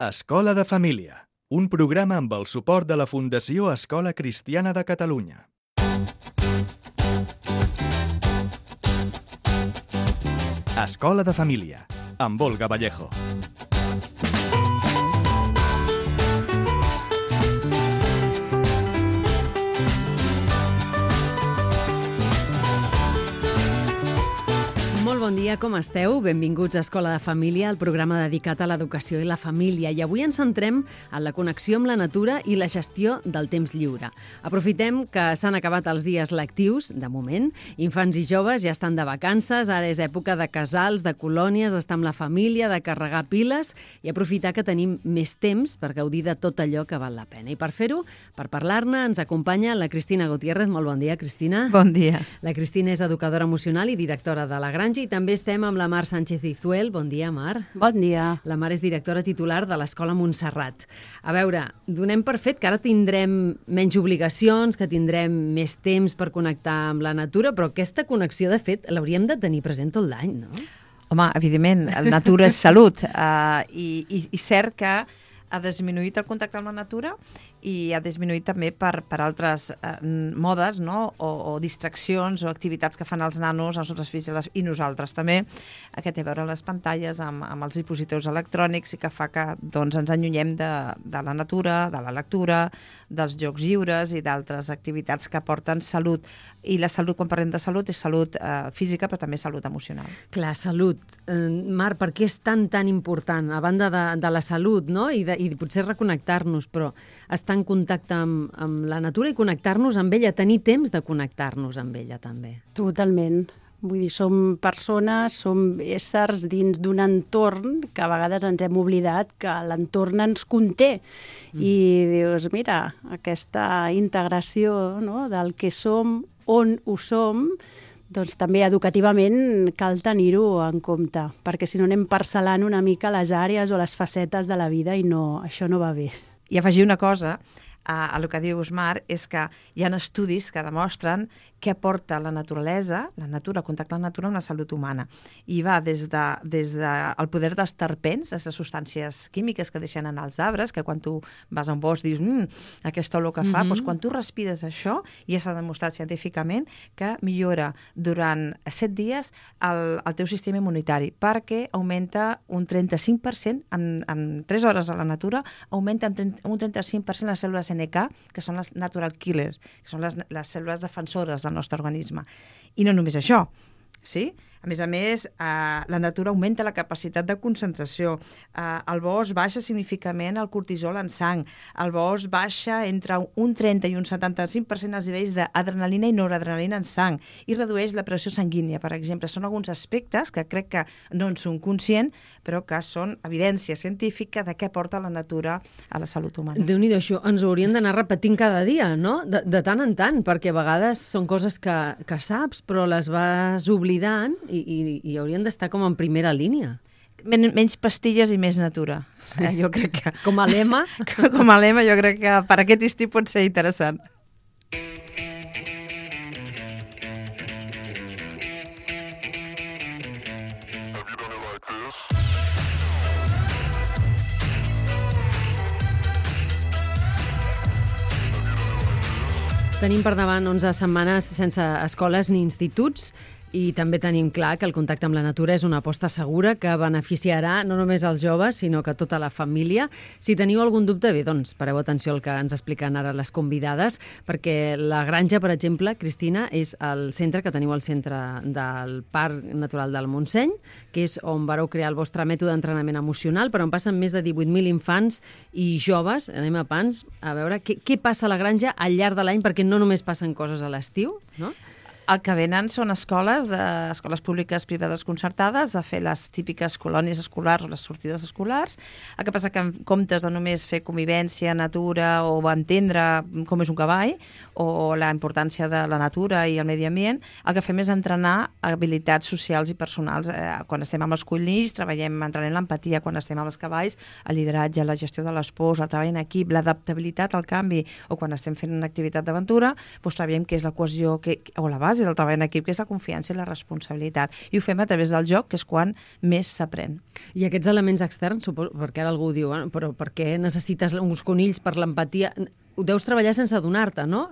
Escola de Família, un programa amb el suport de la Fundació Escola Cristiana de Catalunya. Escola de Família, amb Olga Vallejo. Bon dia, com esteu? Benvinguts a Escola de Família, el programa dedicat a l'educació i la família. I avui ens centrem en la connexió amb la natura i la gestió del temps lliure. Aprofitem que s'han acabat els dies lectius, de moment. Infants i joves ja estan de vacances, ara és època de casals, de colònies, d'estar amb la família, de carregar piles i aprofitar que tenim més temps per gaudir de tot allò que val la pena. I per fer-ho, per parlar-ne, ens acompanya la Cristina Gutiérrez. Molt bon dia, Cristina. Bon dia. La Cristina és educadora emocional i directora de La Granja, i també estem amb la Mar Sánchez Izuel. Bon dia, Mar. Bon dia. La Mar és directora titular de l'Escola Montserrat. A veure, donem per fet que ara tindrem menys obligacions, que tindrem més temps per connectar amb la natura, però aquesta connexió, de fet, l'hauríem de tenir present tot l'any, no? Home, evidentment, la natura és salut i cert que ha disminuït el contacte amb la natura i ha disminuït també per altres modes, no? o distraccions o activitats que fan els nanos, els nostres fills i nosaltres també, que té a veure amb les pantalles, amb els dispositius electrònics, i que fa que doncs, ens allunyem de la natura, de la lectura, dels jocs lliures i d'altres activitats que aporten salut. I la salut, quan parlem de salut, és salut física, però també salut emocional. Clar, salut. Mar, per què és tan important? A banda de la salut, no? I potser reconnectar-nos, però estar en contacte amb la natura i connectar-nos amb ella, tenir temps de connectar-nos amb ella, també. Totalment. Vull dir, som persones, som éssers dins d'un entorn que a vegades ens hem oblidat que l'entorn ens conté. I dius, mira, aquesta integració, no?, del que som, on ho som, doncs també educativament cal tenir-ho en compte, perquè si no anem parcel·lant una mica les àrees o les facetes de la vida i no, això no va bé. I afegir una cosa a el que dius, Mar, és que hi ha estudis que demostren què aporta la naturalesa, la natura, el contacte amb la natura, amb la salut humana. I va des del poder dels terpens, les substàncies químiques que deixen en els arbres, que quan tu vas a un bosc dius, aquesta olor que fa, doncs quan tu respires això, i ja s'ha demostrat científicament que millora durant 7 dies el teu sistema immunitari, perquè augmenta un 35%, en 3 hores a la natura, augmenta un 35% les cèl·lules NK, que són les natural killers, que són les cèl·lules defensores del nostre organisme. I no només això, sí? A més, la natura augmenta la capacitat de concentració. El bosc baixa significativament el cortisol en sang. El bosc baixa entre un 30 i un 75% els nivells d'adrenalina i noradrenalina en sang i redueix la pressió sanguínia, per exemple. Són alguns aspectes que crec que no en són conscients, però que són evidència científica de què porta la natura a la salut humana. Déu-n'hi-do, això ens ho hauríem d'anar repetint cada dia, no? De tant en tant, perquè a vegades són coses que saps, però les vas oblidant i haurien d'estar com en primera línia. Menys pastilles i més natura. Jo crec que... Com a lema? Com a lema, jo crec que per aquest estiu pot ser interessant. Tenim per davant 11 setmanes sense escoles ni instituts i també tenim clar que el contacte amb la natura és una aposta segura que beneficiarà no només els joves, sinó que tota la família. Si teniu algun dubte, bé, doncs pareu atenció al que ens expliquen ara les convidades, perquè La Granja, per exemple, Cristina, és el centre que teniu al centre del Parc Natural del Montseny, que és on vareu crear el vostre mètode d'entrenament emocional, però on passen més de 18.000 infants i joves. Anem a pans a veure què passa a La Granja al llarg de l'any, perquè no només passen coses a l'estiu, no? El que venen són escoles públiques privades concertades, de fer les típiques colònies escolars o les sortides escolars. El que passa que en comptes de només fer convivència, natura o entendre com és un cavall o la importància de la natura i el medi ambient, el que fem és entrenar habilitats socials i personals. Quan estem amb els conills, entrenem l'empatia. Quan estem amb els cavalls, el lideratge, la gestió de les pors, el treball en equip, l'adaptabilitat al canvi. O quan estem fent una activitat d'aventura, doncs treballem què és la cohesió o la base i del treball en equip, que és la confiança i la responsabilitat. I ho fem a través del joc, que és quan més s'aprèn. I aquests elements externs, suposo, perquè ara algú diu, però per què necessites uns conills per l'empatia? Ho deus treballar sense adonar-te, no?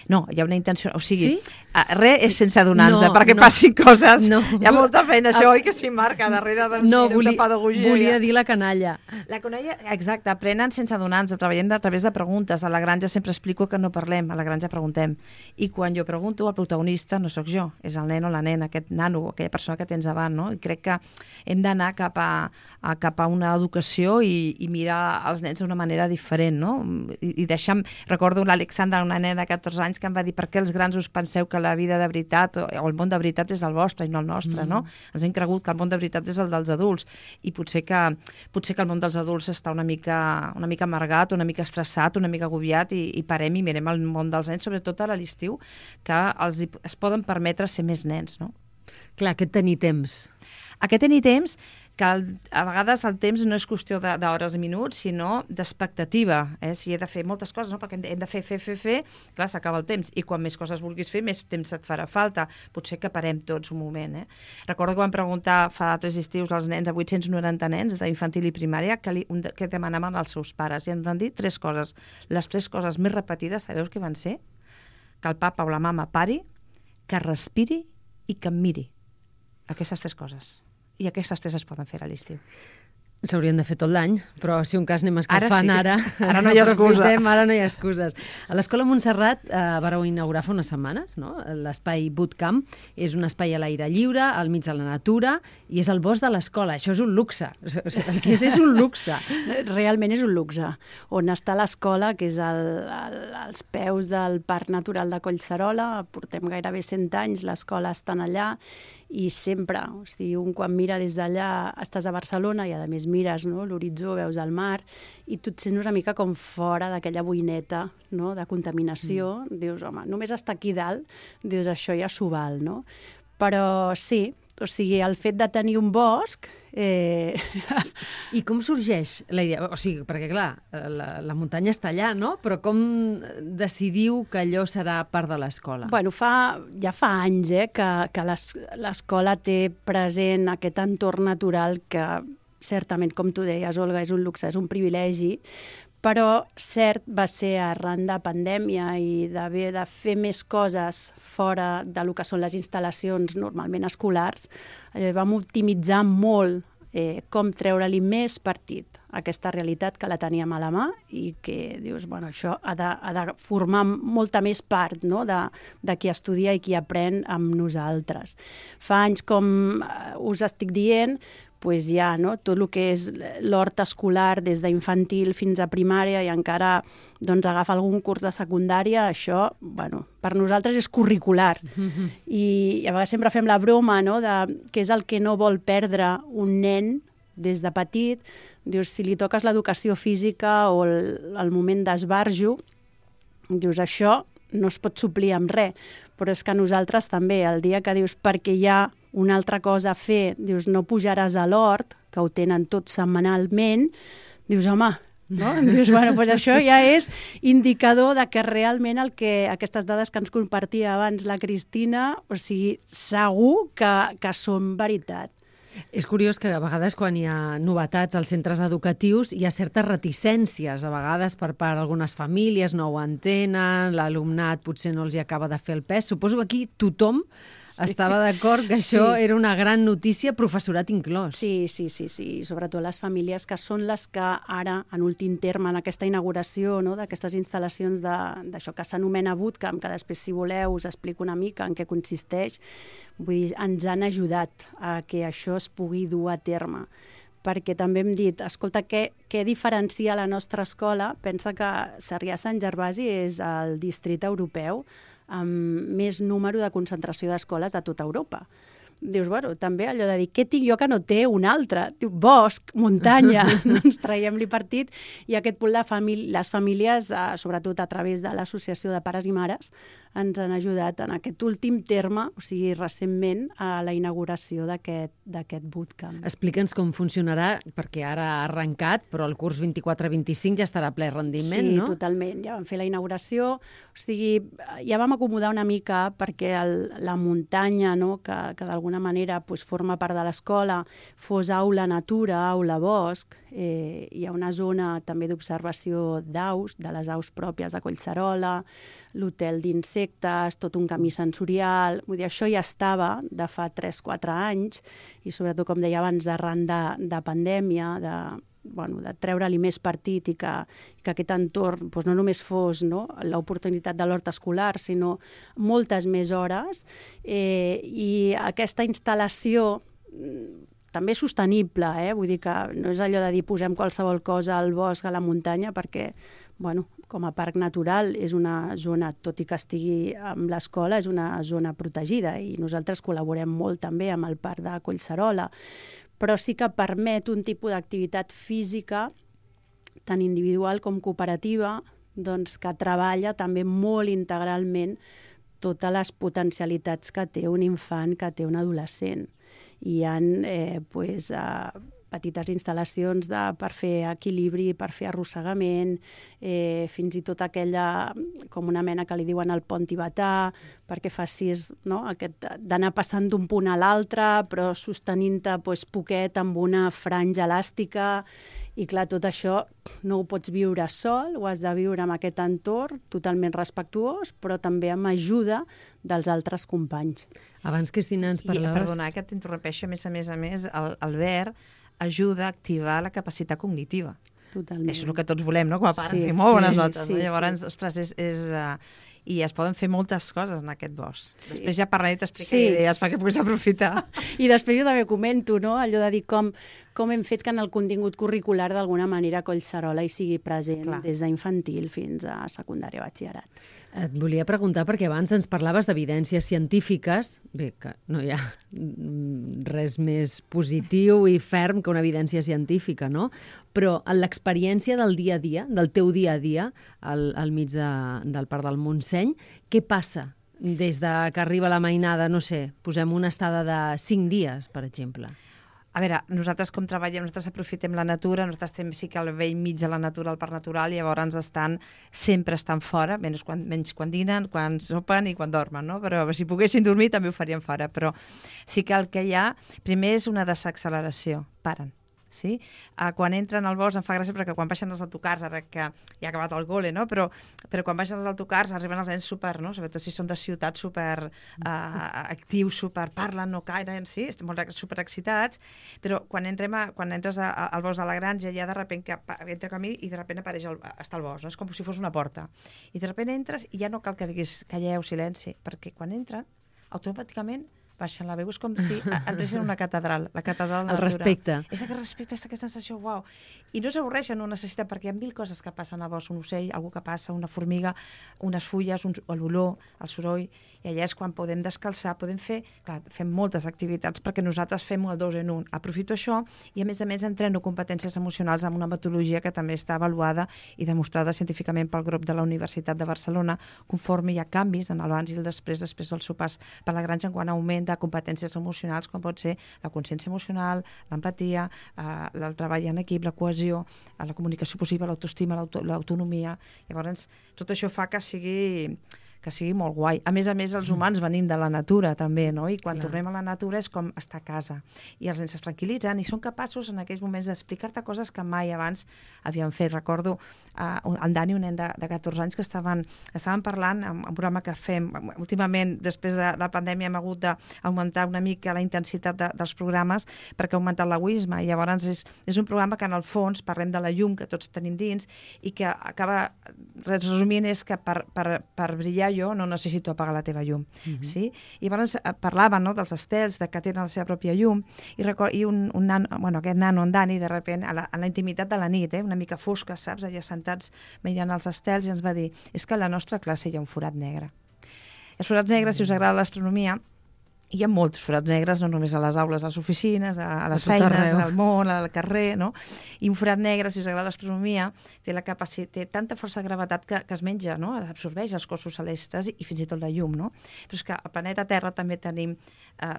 No, hi ha una intenció... O sigui, sí? Res és sense adonar-nos, perquè passin coses. No. Hi ha molta feina, això, oi, que s'hi marca darrere de pedagogia. Volia dir la canalla. La canalla, exacte, aprenen sense adonar-nos, treballem a través de preguntes. A la granja sempre explico que no parlem, a la granja preguntem. I quan jo pregunto, el protagonista no sóc jo, és el nen o la nena, aquest nano, aquella persona que tens davant, no? I crec que hem d'anar cap a una educació i mirar els nens d'una manera diferent, no? I deixar... Recordo l'Alexandra, una nena de 14 anys, que em va dir: per què els grans us penseu que la vida de veritat o el món de veritat és el vostre i no el nostre, no? Ens hem cregut que el món de veritat és el dels adults i potser que el món dels adults està una mica amargat, una mica estressat, una mica agobiat i parem i mirem el món dels nens, sobretot a l'estiu, que es poden permetre ser més nens, no? Clar, aquest tenir temps. Aquest tenir temps, que a vegades el temps no és qüestió d'hores i minuts, sinó d'expectativa. Si he de fer moltes coses, no? Perquè hem de fer, clar, s'acaba el temps. I quan més coses vulguis fer, més temps et farà falta. Potser que parem tots un moment. Recordo que vam preguntar fa 3 estius als nens, a 890 nens d'infantil i primària, que demanaven als seus pares. I ens van dir 3 coses. Les 3 coses més repetides, sabeu què van ser? Que el papa o la mama pari, que respiri i que em miri. Aquestes 3 coses. I aquestes 3 es poden fer a l'estiu. S'haurien de fer tot l'any, però si un cas anem escalfant ara... Ara no hi ha excusa. Ara no hi ha excuses. A l'Escola Montserrat vareu inaugurar fa unes setmanes, no? L'espai Bootcamp és un espai a l'aire lliure, al mig de la natura, i és el bosc de l'escola. Això és un luxe. El que és un luxe. Realment és un luxe. On està l'escola, que és als peus del Parc Natural de Collserola, portem gairebé 100 anys, l'escola està allà, i sempre, o sigui, un quan mira des d'allà estàs a Barcelona i a més mires, no, l'horitzó, veus el mar i tu et sents una mica com fora d'aquella boineta, no, de contaminació. Dius, home, només estar aquí dalt, dius, això ja s'ho val, no? Però sí, o sigui, el fet de tenir un bosc... I com sorgeix la idea? O sigui, perquè clar, la muntanya està allà, no? Però com decidiu que allò serà part de l'escola? Bueno, ja fa anys que l'escola té present aquest entorn natural que certament, com tu deies, Olga, és un luxe, és un privilegi, però cert va ser arran de pandèmia i d'haver de fer més coses fora del que són les instal·lacions normalment escolars, vam optimitzar molt com treure-li més partit a aquesta realitat que la teníem a la mà i que dius, bueno, això ha de formar molta més part, no?, de qui estudia i qui aprèn amb nosaltres. Fa anys, com us estic dient, pues ja, no? Tot el que és l'hort escolar des d'infantil fins a primària i encara doncs, agafa algun curs de secundària, això, bueno, per nosaltres és curricular. I a vegades sempre fem la broma, no?, de què és el que no vol perdre un nen des de petit. Dius, si li toques l'educació física o el moment d'esbarjo, dius, això no es pot suplir amb res, però és que nosaltres també, el dia que dius perquè hi ha una altra cosa a fer, dius no pujaràs a l'hort, que ho tenen tot setmanalment, dius home, no? Dius, bueno, doncs això ja és indicador de que realment aquestes dades que ens compartia abans la Cristina, o sigui, segur que són veritat. És curiós que a vegades quan hi ha novetats als centres educatius hi ha certes reticències, a vegades per part d'algunes famílies, no ho entenen, l'alumnat potser no els hi acaba de fer el pes. Suposo que aquí tothom estava d'acord que això era una gran notícia, professorat inclòs. Sí, sobretot les famílies que són les que ara, en últim terme, en aquesta inauguració, no?, d'aquestes instal·lacions d'això que s'anomena Bootcamp, que després, si voleu, us explico una mica en què consisteix, vull dir, ens han ajudat a que això es pugui dur a terme. Perquè també hem dit, escolta, què diferencia la nostra escola? Pensa que Sarrià-Sant Gervasi és el districte europeu amb més número de concentració d'escoles a tota Europa. dius, bueno, també allò de dir, què tinc jo que no té un altre? Diu, bosc, muntanya, doncs traiem-li partit, i aquest punt les famílies, sobretot a través de l'Associació de Pares i Mares, ens han ajudat en aquest últim terme, o sigui, recentment, a la inauguració d'aquest bootcamp. Explica'ns com funcionarà, perquè ara ha arrencat, però el curs 24-25 ja estarà a ple rendiment, no? Sí, totalment. Ja vam fer la inauguració, o sigui, ja vam acomodar una mica perquè la muntanya, no?, que d'alguna manera forma part de l'escola, fos aula natura, aula bosc. Hi ha una zona també d'observació d'aus, de les aus pròpies de Collserola, l'hotel d'insectes, tot un camí sensorial. Vull dir, això ja estava de fa 3-4 anys i sobretot, com deia abans, arran de pandèmia, de treure-li més partit i que aquest entorn no només fos l'oportunitat de l'hort escolar, sinó moltes més hores. I aquesta instal·lació també sostenible, vull dir que no és allò de dir posem qualsevol cosa al bosc, a la muntanya, perquè com a parc natural és una zona, tot i que estigui amb l'escola, és una zona protegida i nosaltres col·laborem molt també amb el parc de Collserola, però sí que permet un tipus d'activitat física tant individual com cooperativa, doncs que treballa també molt integralment totes les potencialitats que té un infant, que té un adolescent. Hi ha petites instal·lacions per fer equilibri, per fer arrossegament, fins i tot aquella, com una mena que li diuen el pont tibetà, perquè facis d'anar passant d'un punt a l'altre, però sostenint-te poquet amb una franja elàstica. I clar, tot això no ho pots viure sol, ho has de viure amb aquest entorn totalment respectuós, però també amb ajuda dels altres companys. Abans, Cristina, ens parlaves... Perdona, que t'interrompeixo, a més, el verd ajuda a activar la capacitat cognitiva. Totalment. Això és el que tots volem, no? Com a pares, fer molt bones notes. Llavors, ostres, i es poden fer moltes coses en aquest bosc. Sí. Després ja parlaré i t'explicaré idees perquè puguis aprofitar. I després jo també comento, allò de dir com hem fet que en el contingut curricular d'alguna manera Collserola hi sigui present des d'infantil fins a secundària batxillerat. Et volia preguntar, perquè abans ens parlaves d'evidències científiques, bé, que no hi ha res més positiu i ferm que una evidència científica, no? Però en l'experiència del dia a dia, del teu dia a dia, al mig del Parc del Montseny, què passa des que arriba la mainada, no sé, posem una estada de 5 dies, per exemple? A veure, nosaltres com treballem, nosaltres aprofitem la natura, nosaltres estem sí que al vell mig de la natura, al parc natural, i llavors sempre estan fora, menys quan dinen, quan sopen i quan dormen, no? Però si poguessin dormir també ho farien fora, però sí que el que hi ha, primer és una desacceleració, paren. Sí? Quan entren al bosc em fa gràcia perquè quan baixen els autocars, ara que ja ha acabat el gole, no? Però quan baixen els autocars arriben els nens super, no? Sobretot si són de ciutat, super actius, super parlen, no cairen, sí? Estem molt super excitats, però quan entres al bosc de la Granja ja de sobte que entra camí i de sobte està el bosc, no? És com si fos una porta. I de sobte entres i ja no cal que diguis calleu, silenci, perquè quan entren automàticament baixen la veu, és com si entressin en una catedral, la catedral de la natura. El respecte. És aquest respecte, aquesta sensació, uau. I no s'avorreixen, no necessiten, perquè hi ha 1000 coses que passen al bosc, un ocell, algú que passa, una formiga, unes fulles, l'olor, el soroll, i allà és quan podem descalçar, podem fer, clar, fem moltes activitats perquè nosaltres fem el 2 en 1. Aprofito això i a més entreno competències emocionals amb una metodologia que també està avaluada i demostrada científicament pel grup de la Universitat de Barcelona, conforme hi ha canvis en l'abans i el després dels sopars per la Granja en quant a augment de competències emocionals, com pot ser la consciència emocional, l'empatia, el treball en equip, la cohesió, la comunicació possible, l'autoestima, l'autonomia. Llavors, tot això fa que sigui molt guai. A més, els humans venim de la natura, també, no? I quan tornem a la natura és com estar a casa. I els nens es tranquil·litzen i són capaços en aquells moments d'explicar-te coses que mai abans havien fet. Recordo en Dani, un nen de 14 anys, que estaven parlant en un programa que fem. Últimament, després de la pandèmia, hem hagut d'augmentar una mica la intensitat dels programes perquè ha augmentat l'egoisme. I llavors és un programa que, en el fons, parlem de la llum que tots tenim dins i que acaba resumint és que per brillar jo no necessito apagar la teva llum. Sí? I llavors parlaven, no, dels estels, que tenen la seva pròpia llum, i aquest nano, en Dani, de sobte, a la intimitat de la nit, una mica fosca, saps, allà sentats mirant els estels, i ens va dir, és que a la nostra classe hi ha un forat negre. Els forats negres, si us agrada l'astronomia, hi ha molts forats negres, no només a les aules, a les oficines, a les tot feines, arreu. al món, al carrer, no? I un forat negre, si us agrada l'astronomia, té tanta força de gravetat que es menja, no? Absorbeix els cossos celestes i fins i tot la llum, no? Però és que al planeta Terra també tenim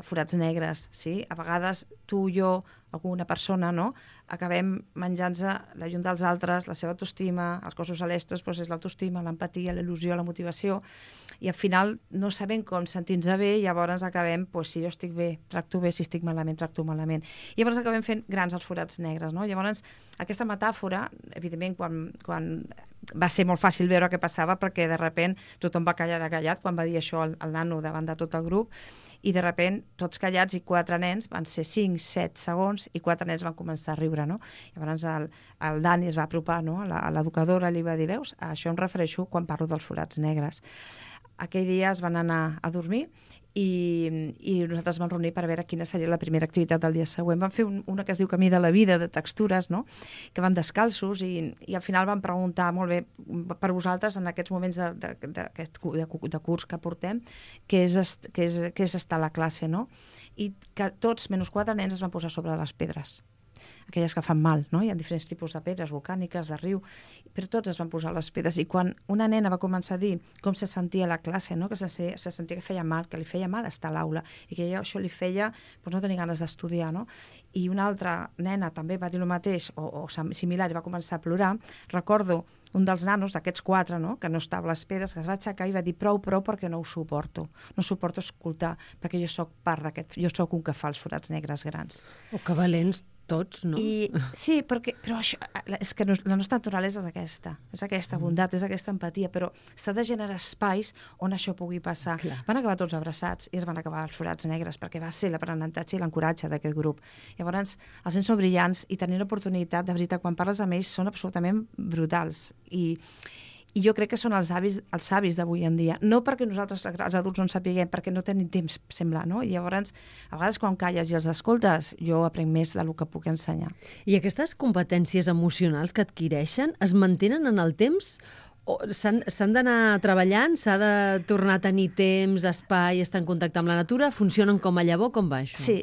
forats negres, sí? A vegades tu, jo, alguna persona, no? Acabem menjant-se la llum dels altres, la seva autoestima, els cossos celestes, doncs és l'autoestima, l'empatia, la il·lusió, la motivació, i al final no sabem com sentir-nos bé, i llavors acabem, doncs, si jo estic bé, tracto bé, si estic malament, tracto malament. I llavors acabem fent grans els forats negres, no? Llavors, aquesta metàfora, evidentment, quan va ser molt fàcil veure què passava, perquè de sobte tothom va callar de callat quan va dir això al nano davant de tot el grup, i de sobte tots callats i 4 nens, van ser 5, 7 segons, i 4 nens van començar a riure, no? Llavors el Dani es va apropar, no? A l'educadora, li va dir, veus, a això em refereixo quan parlo dels forats negres. Aquell dia es van anar a dormir i nosaltres vam reunir per veure quina seria la primera activitat del dia següent. Vam fer una que es diu Camí de la Vida, de textures, no? Que van descalços i al final vam preguntar, molt bé, per vosaltres, en aquests moments de curs que portem, què és estar a la classe, no? I que tots, menys 4 nens, es van posar sobre les pedres, aquelles que fan mal, no? Hi ha diferents tipus de pedres volcàniques, de riu, però tots es van posar les pedres. I quan una nena va començar a dir com se sentia a la classe, no? Que se sentia que feia mal, que li feia mal estar a l'aula, i que això li feia no tenir ganes d'estudiar, no? I una altra nena també va dir el mateix, o similar, i va començar a plorar. Recordo un dels nanos, d'aquests 4, no? Que no estava a les pedres, que es va aixecar i va dir prou, perquè no ho suporto. No suporto escoltar, perquè jo sóc part d'aquest, jo sóc un que fa els forats negres grans. O que valents tots, no? Sí, però això, és que la nostra naturalesa és aquesta bondat, és aquesta empatia, però s'ha de generar espais on això pugui passar. Clar. Van acabar tots abraçats i es van acabar els forats negres, perquè va ser l'aprenentatge i l'encoratge d'aquest grup. Llavors, els nens són brillants i tenir l'oportunitat, de veritat, quan parles amb ells, són absolutament brutals. I jo crec que són els savis d'avui en dia. No perquè nosaltres, els adults, no en sapiguem, perquè no tenim temps, sembla, no? I llavors, a vegades, quan calles i els escoltes, jo aprenc més del que puc ensenyar. I aquestes competències emocionals que adquireixen es mantenen en el temps o s'han d'anar treballant? S'ha de tornar a tenir temps, espai, estar en contacte amb la natura? Funcionen com a llavor? Com va això? Sí,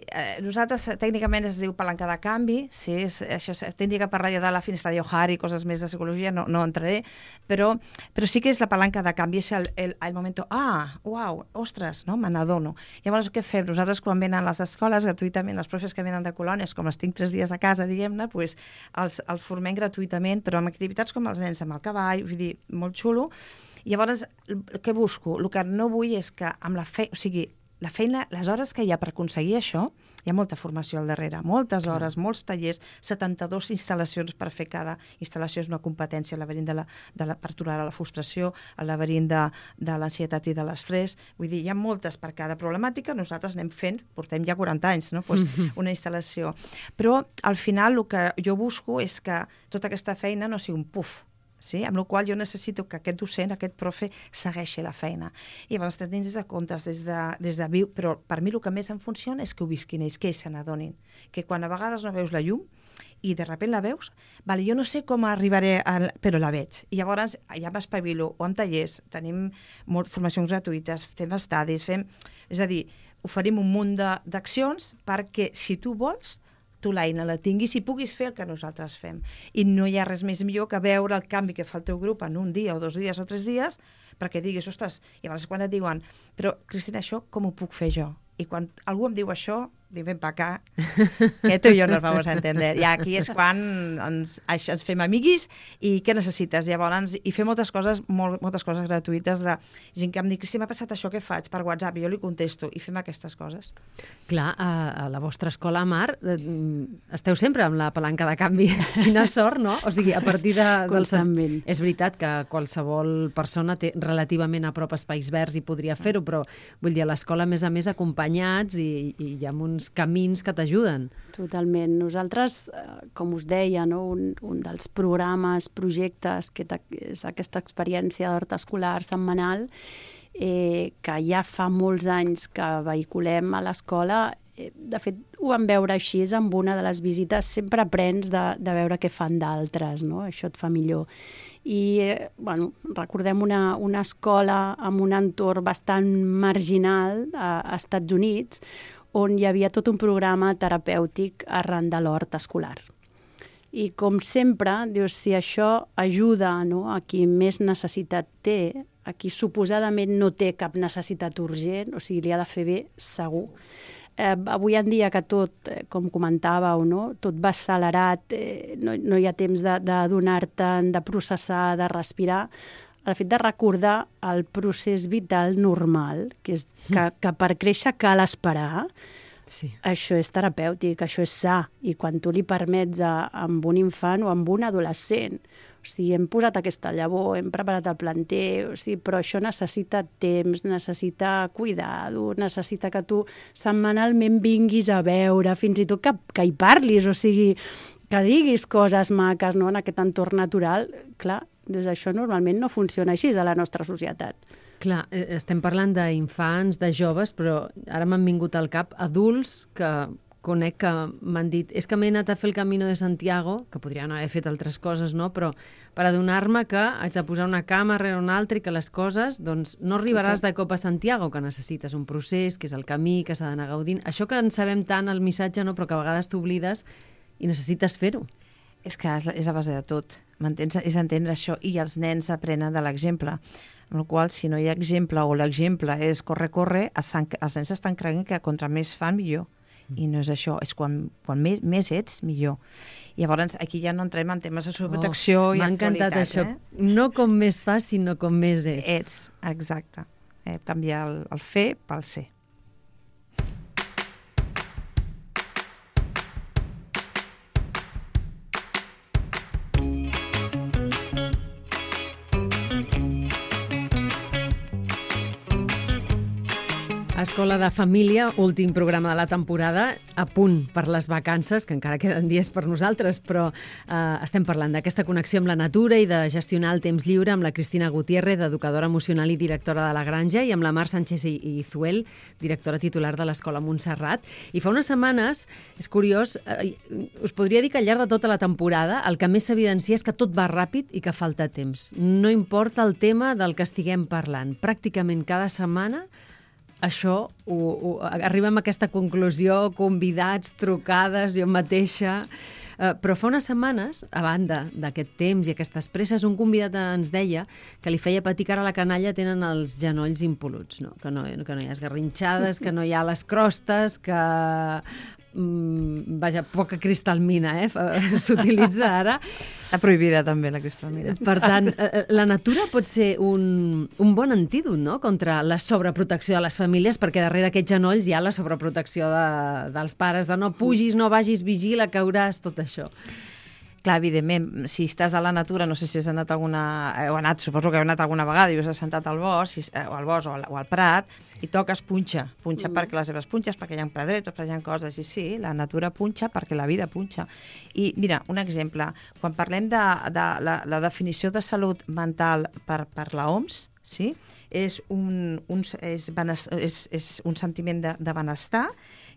nosaltres tècnicament es diu palanca de canvi, sí, això tindria que parlar ja de la finestra d'Ohari i coses més de psicologia, no entraré, però sí que és la palanca de canvi, és el moment, uau, ostres, no? Me n'adono. Llavors, què fem? Nosaltres, quan venen a les escoles, gratuïtament, els profes que venen de colònies, com els tinc 3 dies a casa, diguem-ne, doncs els formem gratuïtament, però amb activitats com els nens amb el cavall, vull dir, molt xulo. Llavors, què busco? El que no vull és que amb la feina, les hores que hi ha per aconseguir això, hi ha molta formació al darrere, moltes hores, molts tallers, 72 instal·lacions per fer cada instal·lació, és una competència, el laberint per tolerar la frustració, el laberint de l'ansietat i de l'estrès, vull dir, hi ha moltes per cada problemàtica, nosaltres anem fent, portem ja 40 anys, no? Pues una instal·lació. Però al final el que jo busco és que tota aquesta feina no sigui un puf, sí? Amb la qual jo necessito que aquest docent, aquest profe, segueixi la feina. I llavors tenim des de comptes, des de viu, però per mi el que més em funciona és que ho visquin ells, que ells se n'adonin. Que quan a vegades no veus la llum i de sobte la veus, vale, jo no sé com arribaré, però la veig. I llavors ja m'espavilo, o en tallers, tenim formacions gratuïtes, fem estadis, és a dir, oferim un munt d'accions perquè, si tu vols, tu l'eina la tinguis i puguis fer el que nosaltres fem. I no hi ha res més millor que veure el canvi que fa el teu grup en un dia o 2 dies o 3 dies perquè diguis, ostres, i llavors quan et diuen però, Cristina, això com ho puc fer jo? I quan algú em diu això, dic, ven pa acá, que tu i jo nos vamos a entender. I aquí és quan ens fem amiguis i què necessites? Llavors, i fer moltes coses gratuïtes de gent que em diu, Cristina, m'ha passat això, què faig? Per WhatsApp, i jo li contesto, i fem aquestes coses. Clar, a la vostra escola, Mar, esteu sempre amb la palanca de canvi. Quina sort, no? O sigui, a partir Constantment. És veritat que qualsevol persona té relativament a prop espais verds i podria fer-ho, però vull dir, a l'escola, a més, acompanyats i hi ha uns camins que t'ajuden. Totalment. Nosaltres, com us deia, no? un dels programes, projectes, que és aquesta experiència d'hort escolar setmanal, que ja fa molts anys que vehiculem a l'escola, De fet, ho vam veure així amb una de les visites. Sempre aprens de veure què fan d'altres, no? Això et fa millor. I, recordem una escola amb un entorn bastant marginal a Estats Units, on hi havia tot un programa terapèutic arran de l'hort escolar. I com sempre, dius, si això ajuda, no, a qui més necessitat té, a qui suposadament no té cap necessitat urgent, o sigui, li ha de fer bé, segur. Avui en dia que tot, com comentàveu, no, tot va accelerat, no hi ha temps de donar-te'n, de processar, de respirar, el fet de recordar el procés vital normal, que és que per créixer cal esperar, sí. Això és terapèutic, això és sa, i quan tu li permets amb un infant o amb un adolescent, o sigui, hem posat aquesta llavor, hem preparat el planter, o sigui, però això necessita temps, necessita cuidado, necessita que tu setmanalment vinguis a veure, fins i tot que hi parlis, o sigui, que diguis coses maques, no?, en aquest entorn natural. Clar, doncs això normalment no funciona així a la nostra societat. Clar, estem parlant d'infants, de joves, però ara m'han vingut al cap adults que conec que m'han dit és que m'he anat a fer el Camino de Santiago, que podrien haver fet altres coses, no? Però per adonar-me que haig de posar una cama rere una altra i que les coses, doncs, no arribaràs de cop a Santiago, que necessites un procés, que és el camí, que s'ha d'anar gaudint. Això que en sabem tant, el missatge, no? Però que a vegades t'oblides i necessites fer-ho. És que és a base de tot, m'entens? És entendre això, i els nens aprenen de l'exemple. Amb la qual, si no hi ha exemple o l'exemple és corre, els nens estan creient que contra més fan, millor. I no és això, és quan més ets, millor. I llavors aquí ja no entrem en temes de sobreprotecció i en qualitat. M'ha encantat això, no com més fas, sinó com més ets. Ets, exacte. Canviar el fer pel ser. Escola de Família, últim programa de la temporada, a punt per les vacances, que encara queden dies per nosaltres, però estem parlant d'aquesta connexió amb la natura i de gestionar el temps lliure amb la Cristina Gutiérrez, educadora emocional i directora de La Granja, i amb la Mar Sánchez i Zuel, directora titular de l'Escola Montserrat. I fa unes setmanes, és curiós, us podria dir que al llarg de tota la temporada el que més s'evidencia és que tot va ràpid i que falta temps. No importa el tema del que estiguem parlant. Pràcticament cada setmana això, arribem a aquesta conclusió, convidats, trucades, jo mateixa. Però fa unes setmanes, a banda d'aquest temps i aquestes presses, un convidat ens deia que li feia patir que ara la canalla tenen els genolls impoluts, no? Que no hi ha esgarrinxades, que no hi ha les crostes, que vaja, poca cristalmina, s'utilitza ara. Està prohibida també la cristalmina. Per tant, la natura pot ser un bon antídot, no?, contra la sobreprotecció de les famílies, perquè darrere aquests genolls hi ha la sobreprotecció dels pares, de no pugis, no vagis, vigila, cauràs, tot això. Clar, evidentment, si estàs a la natura, no sé si has anat suposo que heu anat alguna vegada i us has sentat al bosc, o al prat, i toques punxa perquè les seves punxes, perquè hi ha pedretes, perquè hi ha coses, i sí, la natura punxa perquè la vida punxa. I mira, un exemple, quan parlem de la definició de salut mental per la OMS, sí? És un sentiment de benestar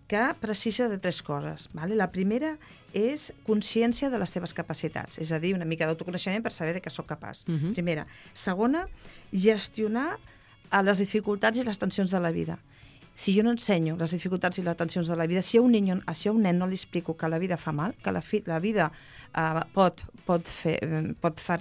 que precisa de 3 coses. Vale? La primera és consciència de les teves capacitats, és a dir, una mica d'autoconeixement per saber de què sóc capaç. Primera. Segona, gestionar les dificultats i les tensions de la vida. Si jo no ensenyo les dificultats i les tensions de la vida, si a un nen no li explico que la vida fa mal, que la vida pot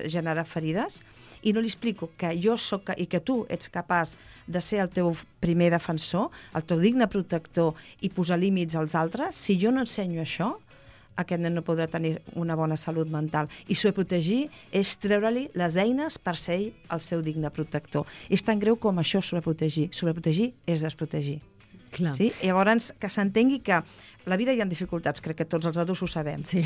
generar ferides, i no li explico que jo soc i que tu ets capaç de ser el teu primer defensor, el teu digne protector i posar límits als altres, si jo no ensenyo això, aquest nen no podrà tenir una bona salut mental. I sobreprotegir és treure-li les eines per ser ell el seu digne protector. És tan greu com això, sobreprotegir. Sobreprotegir és desprotegir. Clar. Sí? I llavors que s'entengui que a la vida hi ha dificultats, crec que tots els adults ho sabem. Sí?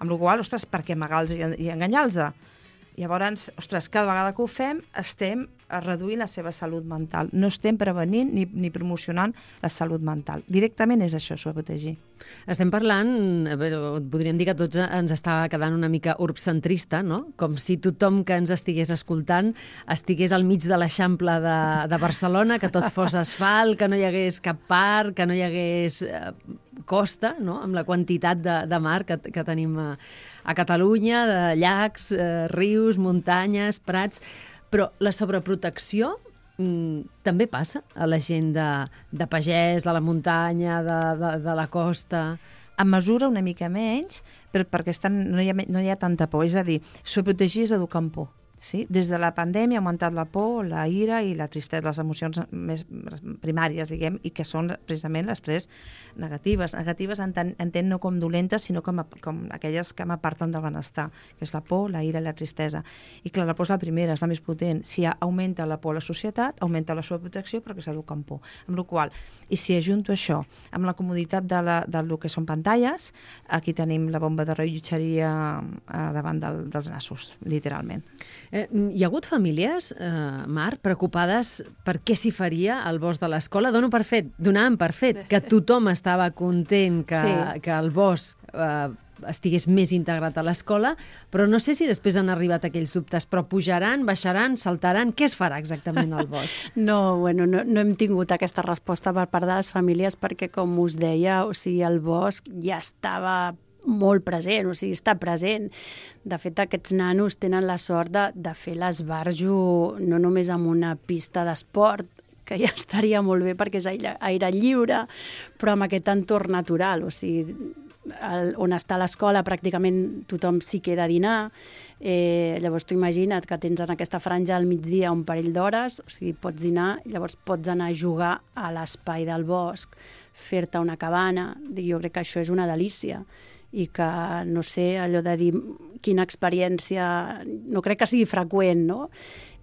Amb la qual cosa, ostres, per què amagar-los i enganyar-los? Llavors, ostres, cada vegada que ho fem estem reduint la seva salut mental. No estem prevenint ni promocionant la salut mental. Directament és això, sobreprotegir. Estem parlant, podríem dir que tots ens estava quedant una mica urbcentrista, no? Com si tothom que ens estigués escoltant estigués al mig de l'Eixample de Barcelona, que tot fos asfalt, que no hi hagués cap parc, que no hi hagués costa, no? Amb la quantitat de mar que tenim a Catalunya, de llacs, rius, muntanyes, prats. Però la sobreprotecció també passa a la gent de pagès, de la muntanya, de la costa. En mesura una mica menys, però perquè no hi ha tanta por. És a dir, sobreprotegir és educar en por. Sí? Des de la pandèmia ha augmentat la por, la ira i la tristesa, les emocions més primàries, diguem, i que són precisament després negatives. Negatives entenc no com dolentes, sinó com aquelles que m'aparten del benestar, que és la por, la ira i la tristesa. I clar, la por és la primera, és la més potent. Si augmenta la por a la societat, augmenta la sobreprotecció perquè s'educa en por. Amb la qual cosa, i si ajunto això amb la comoditat del que són pantalles, aquí tenim la bomba de rellotgeria davant dels nassos, literalment. Hi ha hagut famílies, Mar, preocupades per què s'hi faria al bosc de l'escola? Donàvem per fet que tothom estava content que el bosc estigués més integrat a l'escola, però no sé si després han arribat aquells dubtes, però pujaran, baixaran, saltaran, què es farà exactament al bosc? No hem tingut aquesta resposta per part de les famílies perquè, com us deia, o sigui, el bosc ja estava molt present, o sigui, està present. De fet, aquests nanos tenen la sort de fer l'esbarjo no només amb una pista d'esport, que ja estaria molt bé perquè és aire lliure, però amb aquest entorn natural, o sigui, on està l'escola pràcticament tothom s'hi queda a dinar, llavors tu imagina't que tens en aquesta franja al migdia un parell d'hores, o sigui, pots dinar, llavors pots anar a jugar a l'espai del bosc, fer-te una cabana, jo crec que això és una delícia, i que, no sé, allò de dir quina experiència, no crec que sigui freqüent, no?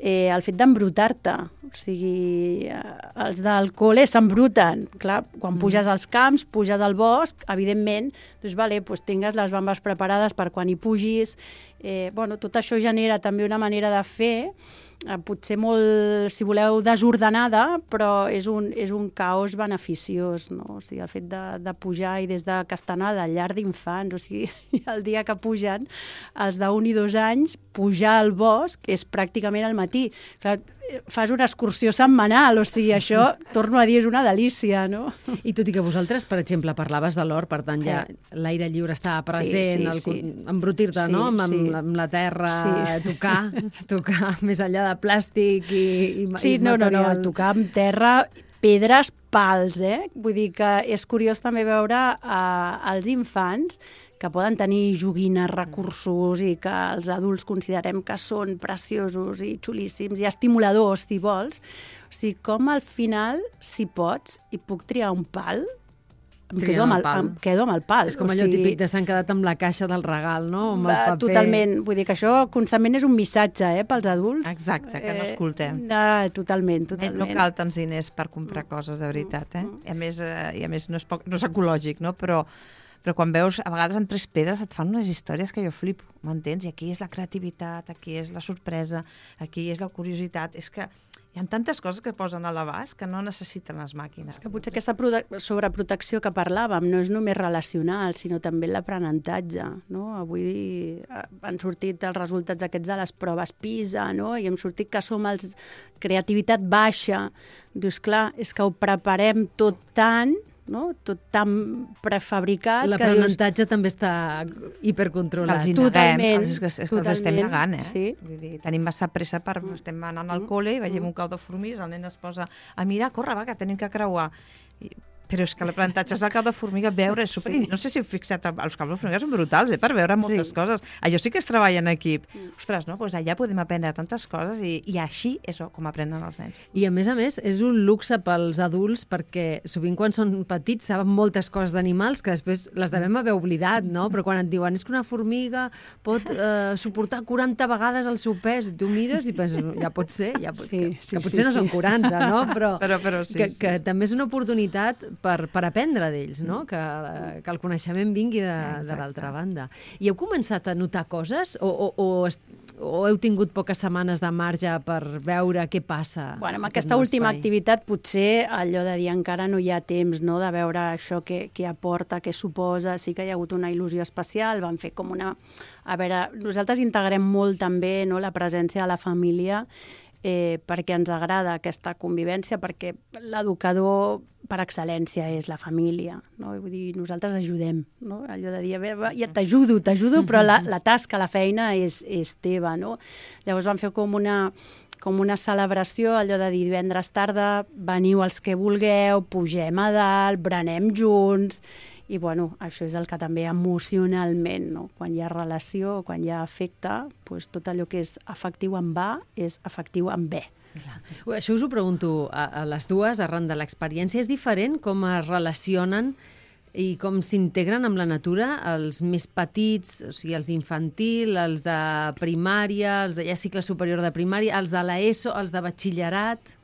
El fet d'embrutar-te, o sigui, els del col·le s'embruten, clar, quan puges als camps, puges al bosc, evidentment, doncs vale, doncs tingues les bambes preparades per quan hi pugis, tot això genera també una manera de fer, potser molt, si voleu, desordenada, però és un caos beneficiós, no? O sigui, el fet de pujar i des de Castanada, llar d'infants, o sigui, el dia que pugen, els d'1 i 2 anys, pujar al bosc és pràcticament al matí. Clar, fas una excursió setmanal, o sigui, això, torno a dir, és una delícia, no? I tot i que vosaltres, per exemple, parlaves de l'hort, per tant, ja l'aire lliure estava present, embrutir-te, no? Amb la terra, tocar més enllà de plàstic i material. Tocar amb terra, pedres, pals, Vull dir que és curiós també veure els infants que poden tenir joguines, recursos i que els adults considerem que són preciosos i xulíssims i estimuladors, si vols. O sigui, com al final, si pots, i puc triar un pal, em quedo amb el pal. És com allò típic de s'han quedat amb la caixa del regal, no? Amb el paper. Totalment. Vull dir que això constantment és un missatge, pels adults. Exacte, que no escoltem. Totalment. No cal tants diners per comprar coses, de veritat, I a més no és ecològic, no? Però quan veus, a vegades en 3 pedres et fan unes històries que jo flipo, m'entens? I aquí és la creativitat, aquí és la sorpresa, aquí és la curiositat. És que hi ha tantes coses que posen a l'abast que no necessiten les màquines. És que potser aquesta sobreprotecció que parlàvem no és només relacional, sinó també l'aprenentatge, no? Avui han sortit els resultats aquests de les proves PISA, no? I hem sortit que som els creativitat baixa. Dius, clar, és que ho preparem tot tant, no? Tot tan prefabricat. L'aprenentatge també està hipercontrolat. Totalment. És que els estem negant, Sí. Vull dir, tenim massa pressa estem anant al col·le i veiem un cau de formigues, el nen es posa a mirar, corre, va, que tenim que creuar. Però és que l'aprenentatge és el cau de formiga, veure, és super... No sé si heu fixat, els caus de formiga són brutals, per veure moltes coses. Allò sí que es treballa en equip. Ostres, no? Doncs allà podem aprendre tantes coses i així és com aprenen els nens. I a més, és un luxe pels adults perquè sovint quan són petits saben moltes coses d'animals que després les devem haver oblidat, no? Però quan et diuen és que una formiga pot suportar 40 vegades el seu pes, tu mires i penses, ja pot ser, que potser no són 40, no? Però sí, que també és una oportunitat per aprendre d'ells, no? Que el coneixement vingui de l'altra banda. I heu començat a notar coses o heu tingut poques setmanes de marge per veure què passa? Bueno, amb aquesta última activitat potser allò de dir encara no hi ha temps, no?, de veure això què aporta, què suposa. Sí que hi ha hagut una il·lusió especial, vam fer com una... A veure, nosaltres integrem molt també, no?, la presència de la família perquè ens agrada aquesta convivència, perquè l'educador per excel·lència és la família, no? Vull dir, nosaltres ajudem, no? Allò de dir, a veure, ja t'ajudo, però la tasca, la feina és teva, no? Llavors vam fer com una celebració, allò de dir divendres tarda, veniu els que vulgueu, pugem a dalt, berenem junts, i bueno, això és el que també emocionalment, no? Quan hi ha relació, quan hi ha afecte, doncs tot allò que és afectiu amb A és afectiu amb B. Clar. Això us ho pregunto a les dues, arran de l'experiència. És diferent com es relacionen i com s'integren amb la natura els més petits, o sigui, els d'infantil, els de primària, els de cicle superior de primària, els de l'ESO, els de batxillerat...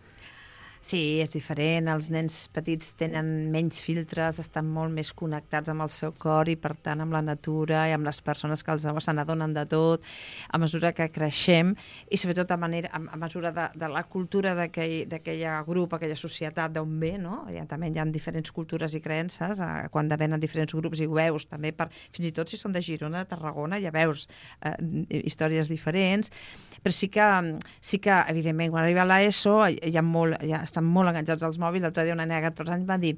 Sí, és diferent. Els nens petits tenen menys filtres, estan molt més connectats amb el seu cor i, per tant, amb la natura i amb les persones que se n'adonen de tot, a mesura que creixem i, sobretot, a mesura de la cultura d'aquell grup, aquella societat d'on ve, no? També hi ha diferents cultures i creences, quan venen diferents grups i ho veus, també, fins i tot si són de Girona, de Tarragona, ja veus històries diferents, però sí que evidentment, quan arriba a l'ESO estan molt enganxats als mòbils. L'altre dia una nena de 14 anys va dir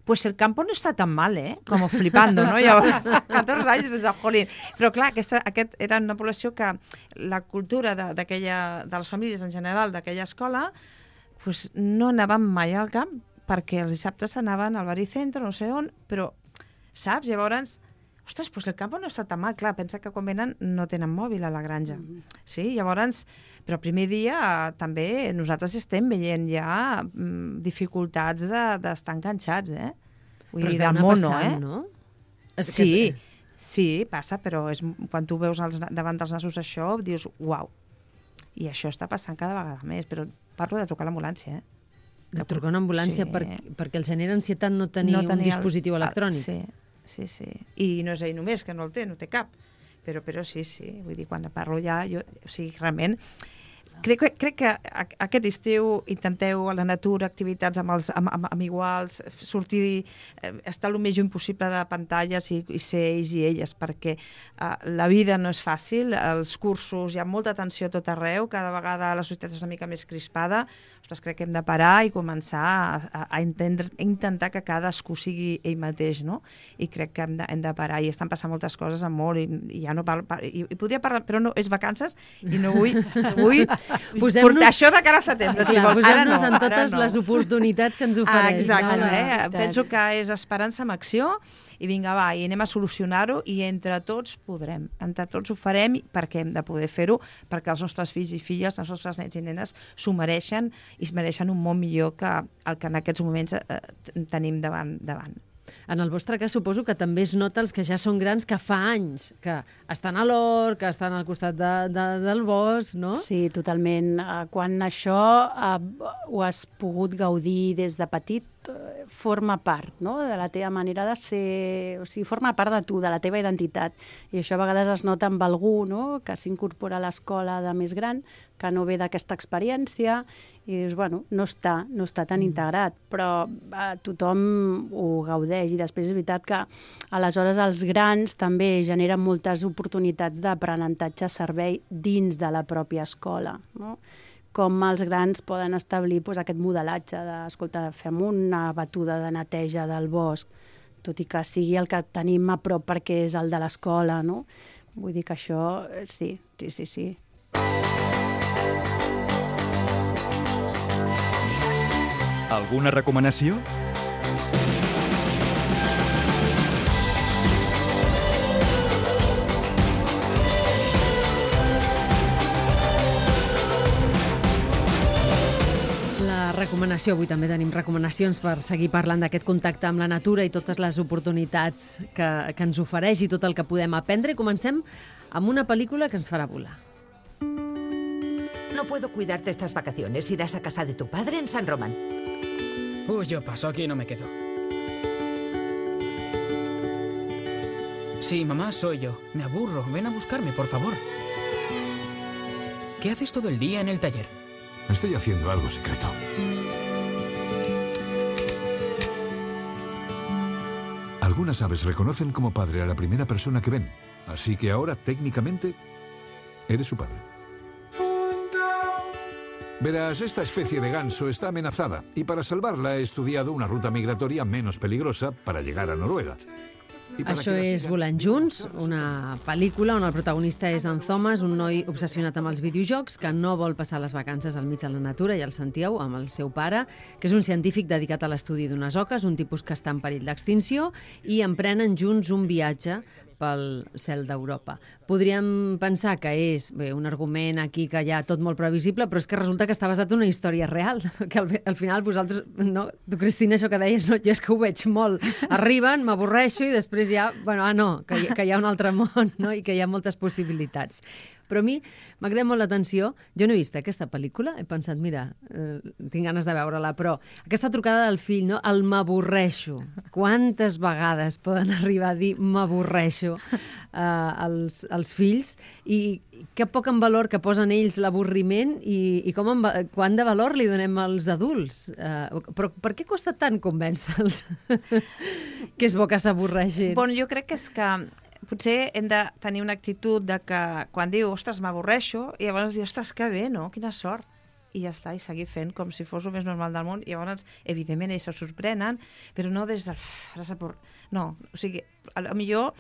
pues el campo no está tan mal, com flipando, no? Llavors, 14 anys, pensava, jolín. Però clar, aquest era una població que la cultura de les famílies en general d'aquella escola pues no anaven mai al camp, perquè els dissabtes anaven al baricentro, no sé on, però, saps? Llavors, ostres, pues el campo no està tan mal. Clar, pensa que quan venen no tenen mòbil a la granja. Sí, llavors, però el primer dia també nosaltres estem veient ja dificultats d'estar enganxats, Vull dir, del mono, passant, no? Sí, passa, però quan tu veus davant dels nassos això, dius, uau. I això està passant cada vegada més, però parlo de trucar a l'ambulància, De trucar a una ambulància perquè els genera ansietat no tenir un dispositiu electrònic. Sí. I no és ell només, que no té cap. Però sí. Vull dir, quan parlo ja, realment... Crec que aquest estiu intenteu a la natura, activitats amb iguals, sortir, estar el més lluny possible de pantalles i ser ells i elles, perquè la vida no és fàcil, els cursos, hi ha molta tensió a tot arreu, cada vegada la societat és una mica més crispada. Ostres, crec que hem de parar i començar a intentar que cadascú sigui ell mateix, no? I crec que hem de parar, i estan passant moltes coses molt, i ja no parlo, i podria parlar, però no, és vacances, i no vull portar això de cara a setembre. Posem-nos en totes les oportunitats que ens ofereix. Exacte, penso que és esperança amb acció, i vinga, va, i anem a solucionar-ho, i entre tots podrem, entre tots ho farem, perquè hem de poder fer-ho, perquè els nostres fills i filles, els nostres nens i nenes s'ho mereixen, i es mereixen un món millor que el que en aquests moments tenim davant. En el vostre cas suposo que també es nota els que ja són grans, que fa anys que estan a l'hort, que estan al costat del bosc, no? Sí, totalment. Quan això ho has pogut gaudir des de petit, forma part, no?, de la teva manera de ser, o sigui, forma part de tu, de la teva identitat. I això a vegades es nota amb algú, no?, que s'incorpora a l'escola de més gran, que no ve d'aquesta experiència, i dius, bueno, no està tan integrat, però tothom ho gaudeix. I després és veritat que aleshores els grans també generen moltes oportunitats d'aprenentatge servei dins de la pròpia escola, no?, com els grans poden establir aquest modelatge d'escolta, fem una batuda de neteja del bosc, tot i que sigui el que tenim a prop perquè és el de l'escola, no? Vull dir que això, sí. Alguna recomanació? Recomanació, avui també tenim recomanacions per seguir parlant d'aquest contacte amb la natura i totes les oportunitats que ens ofereix i tot el que podem aprendre. I comencem amb una pel·lícula que ens farà volar. No puedo cuidarte estas vacaciones. Irás a casa de tu padre en San Román. Yo paso, aquí no me quedo. Sí, mamá, soy yo. Me aburro. Ven a buscarme, por favor. ¿Qué haces todo el día en el taller? Estoy haciendo algo secreto. Algunas aves reconocen como padre a la primera persona que ven, así que ahora, técnicamente, eres su padre. Verás, esta especie de ganso está amenazada y para salvarla he estudiado una ruta migratoria menos peligrosa para llegar a Noruega. Això és Volant Junts, una pel·lícula on el protagonista és en Thomas, un noi obsessionat amb els videojocs que no vol passar les vacances al mig de la natura, ja el sentíeu, amb el seu pare, que és un científic dedicat a l'estudi d'unes oques, un tipus que està en perill d'extinció, i emprenen junts un viatge pel cel d'Europa. Podríem pensar que és un argument aquí que hi ha tot molt previsible, però és que resulta que està basat en una història real, que al final vosaltres, no? Tu, Cristina, això que deies, no, jo és que ho veig molt. Arriben, m'avorreixo i després ja, que hi ha un altre món, no? I que hi ha moltes possibilitats. Però a mi m'ha cridat molt l'atenció. Jo no he vist aquesta pel·lícula, he pensat, mira, tinc ganes de veure-la, però aquesta trucada del fill, no? El m'avorreixo. Quantes vegades poden arribar a dir m'avorreixo als fills? I que poc en valor que posen ells l'avorriment i quant de valor li donem als adults. Però per què costa tant convèncer-los que és bo que s'avorreixin? Bueno, jo crec que és que potser hem de tenir una actitud de que quan diu, ostres, m'avorreixo, i llavors diu, ostres, que bé, no? Quina sort. I ja està, i seguir fent com si fos el més normal del món. I llavors, evidentment, ells se sorprenen, però no des del... No, o sigui, millor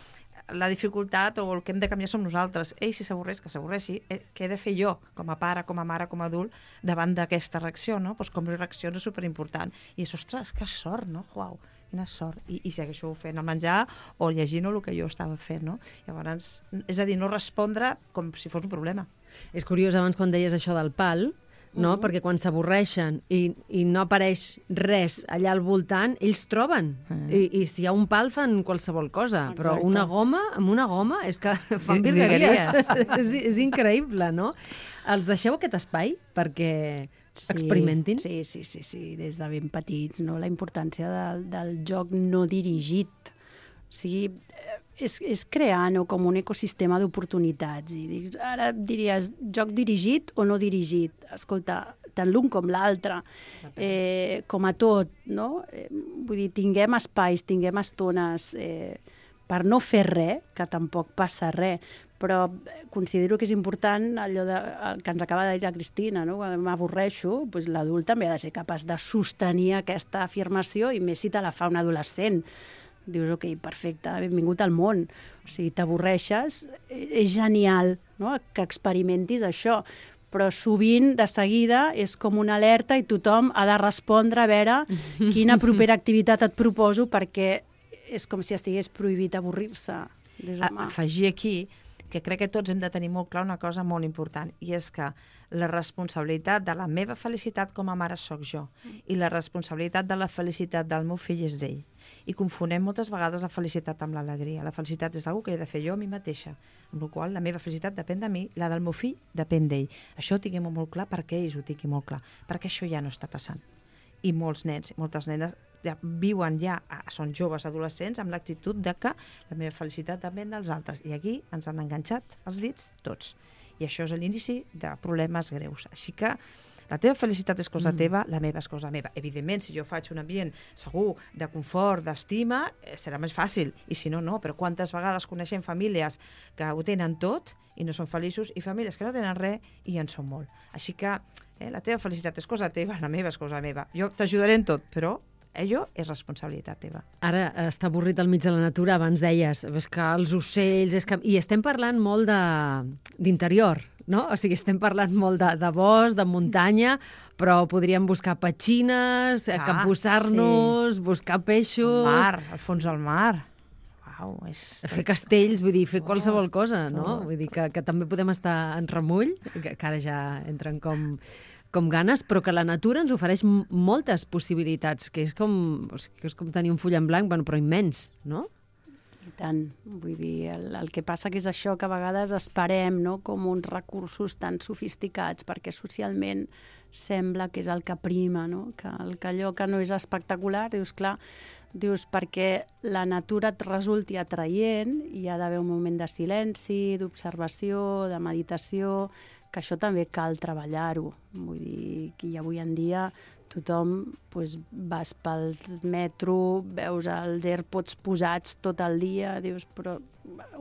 la dificultat o el que hem de canviar som nosaltres. Ell, si s'avorreix, que s'avorreixi. Què he de fer jo, com a pare, com a mare, com a adult, davant d'aquesta reacció, no? Doncs com reacció és superimportant. I és, ostres, que sort, no? Uau, quina sort. I segueixo fent el menjar o llegint el que jo estava fent, no? Llavors, és a dir, no respondre com si fos un problema. És curiós, abans quan deies això del pal, no? Perquè quan s'avorreixen i no apareix res allà al voltant, ells troben. I si hi ha un pal fan qualsevol cosa. Exacte. Però amb una goma és que fan virgueries. És increïble, no? Els deixeu aquest espai perquè experimentin? Sí, des de ben petits, no? La importància del joc no dirigit. O sigui, és crear, no, com un ecosistema d'oportunitats. I ara diries, joc dirigit o no dirigit? Escolta, tant l'un com l'altre, com a tot, no? Vull dir, tinguem espais, tinguem estones per no fer res, que tampoc passa res, però considero que és important allò que ens acaba de dir la Cristina, no? Quan m'avorreixo, doncs l'adult també ha de ser capaç de sostenir aquesta afirmació, i més si te la fa un adolescent. Dius, ok, perfecte, benvingut al món. O sigui, t'avorreixes, és genial, no?, que experimentis això, però sovint, de seguida, és com una alerta i tothom ha de respondre a veure quina propera activitat et proposo, perquè és com si estigués prohibit avorrir-se. Afegir aquí que crec que tots hem de tenir molt clar una cosa molt important, i és que la responsabilitat de la meva felicitat com a mare sóc jo, i la responsabilitat de la felicitat del meu fill és d'ell. I confonem moltes vegades la felicitat amb l'alegria. La felicitat és una que he de fer jo a mi mateixa, amb la qual la meva felicitat depèn de mi, la del meu fill depèn d'ell. Això ho tinguem molt clar, perquè ells ho tinguin molt clar, perquè això ja no està passant. I molts nens, moltes nenes viuen són joves adolescents amb l'actitud de que la meva felicitat depèn dels altres. I aquí ens han enganxat els dits tots. I això és l'inici de problemes greus. Així que la teva felicitat és cosa teva, la meva és cosa meva. Evidentment, si jo faig un ambient segur, de confort, d'estima, serà més fàcil. I si no, no. Però quantes vegades coneixem famílies que ho tenen tot i no són feliços, i famílies que no tenen res i en són molt. Així que la teva felicitat és cosa teva, la meva és cosa meva. Jo t'ajudaré en tot, però allò és responsabilitat teva. Ara està avorrit al mig de la natura, abans deies, és que els ocells... I estem parlant molt d'interior, no? O sigui, estem parlant molt de bosc, de muntanya, però podríem buscar petxines, capbussar-nos, buscar peixos... El mar, al fons del mar. Uau, fer castells, vull dir, fer qualsevol cosa, no? Vull dir que també podem estar en remull, que ara ja entren com ganes, però que la natura ens ofereix moltes possibilitats, que és com tenir un full en blanc, però immens, no? I tant. Vull dir, el que passa que és això, que a vegades esperem, no?, com uns recursos tan sofisticats, perquè socialment sembla que és el que prima, no? Que allò que no és espectacular, dius, clar, Dius, perquè la natura et resulti atraient, hi ha d'haver un moment de silenci, d'observació, de meditació, que això també cal treballar-ho. Vull dir que avui en dia tothom vas pel metro, veus els AirPods posats tot el dia, dius, però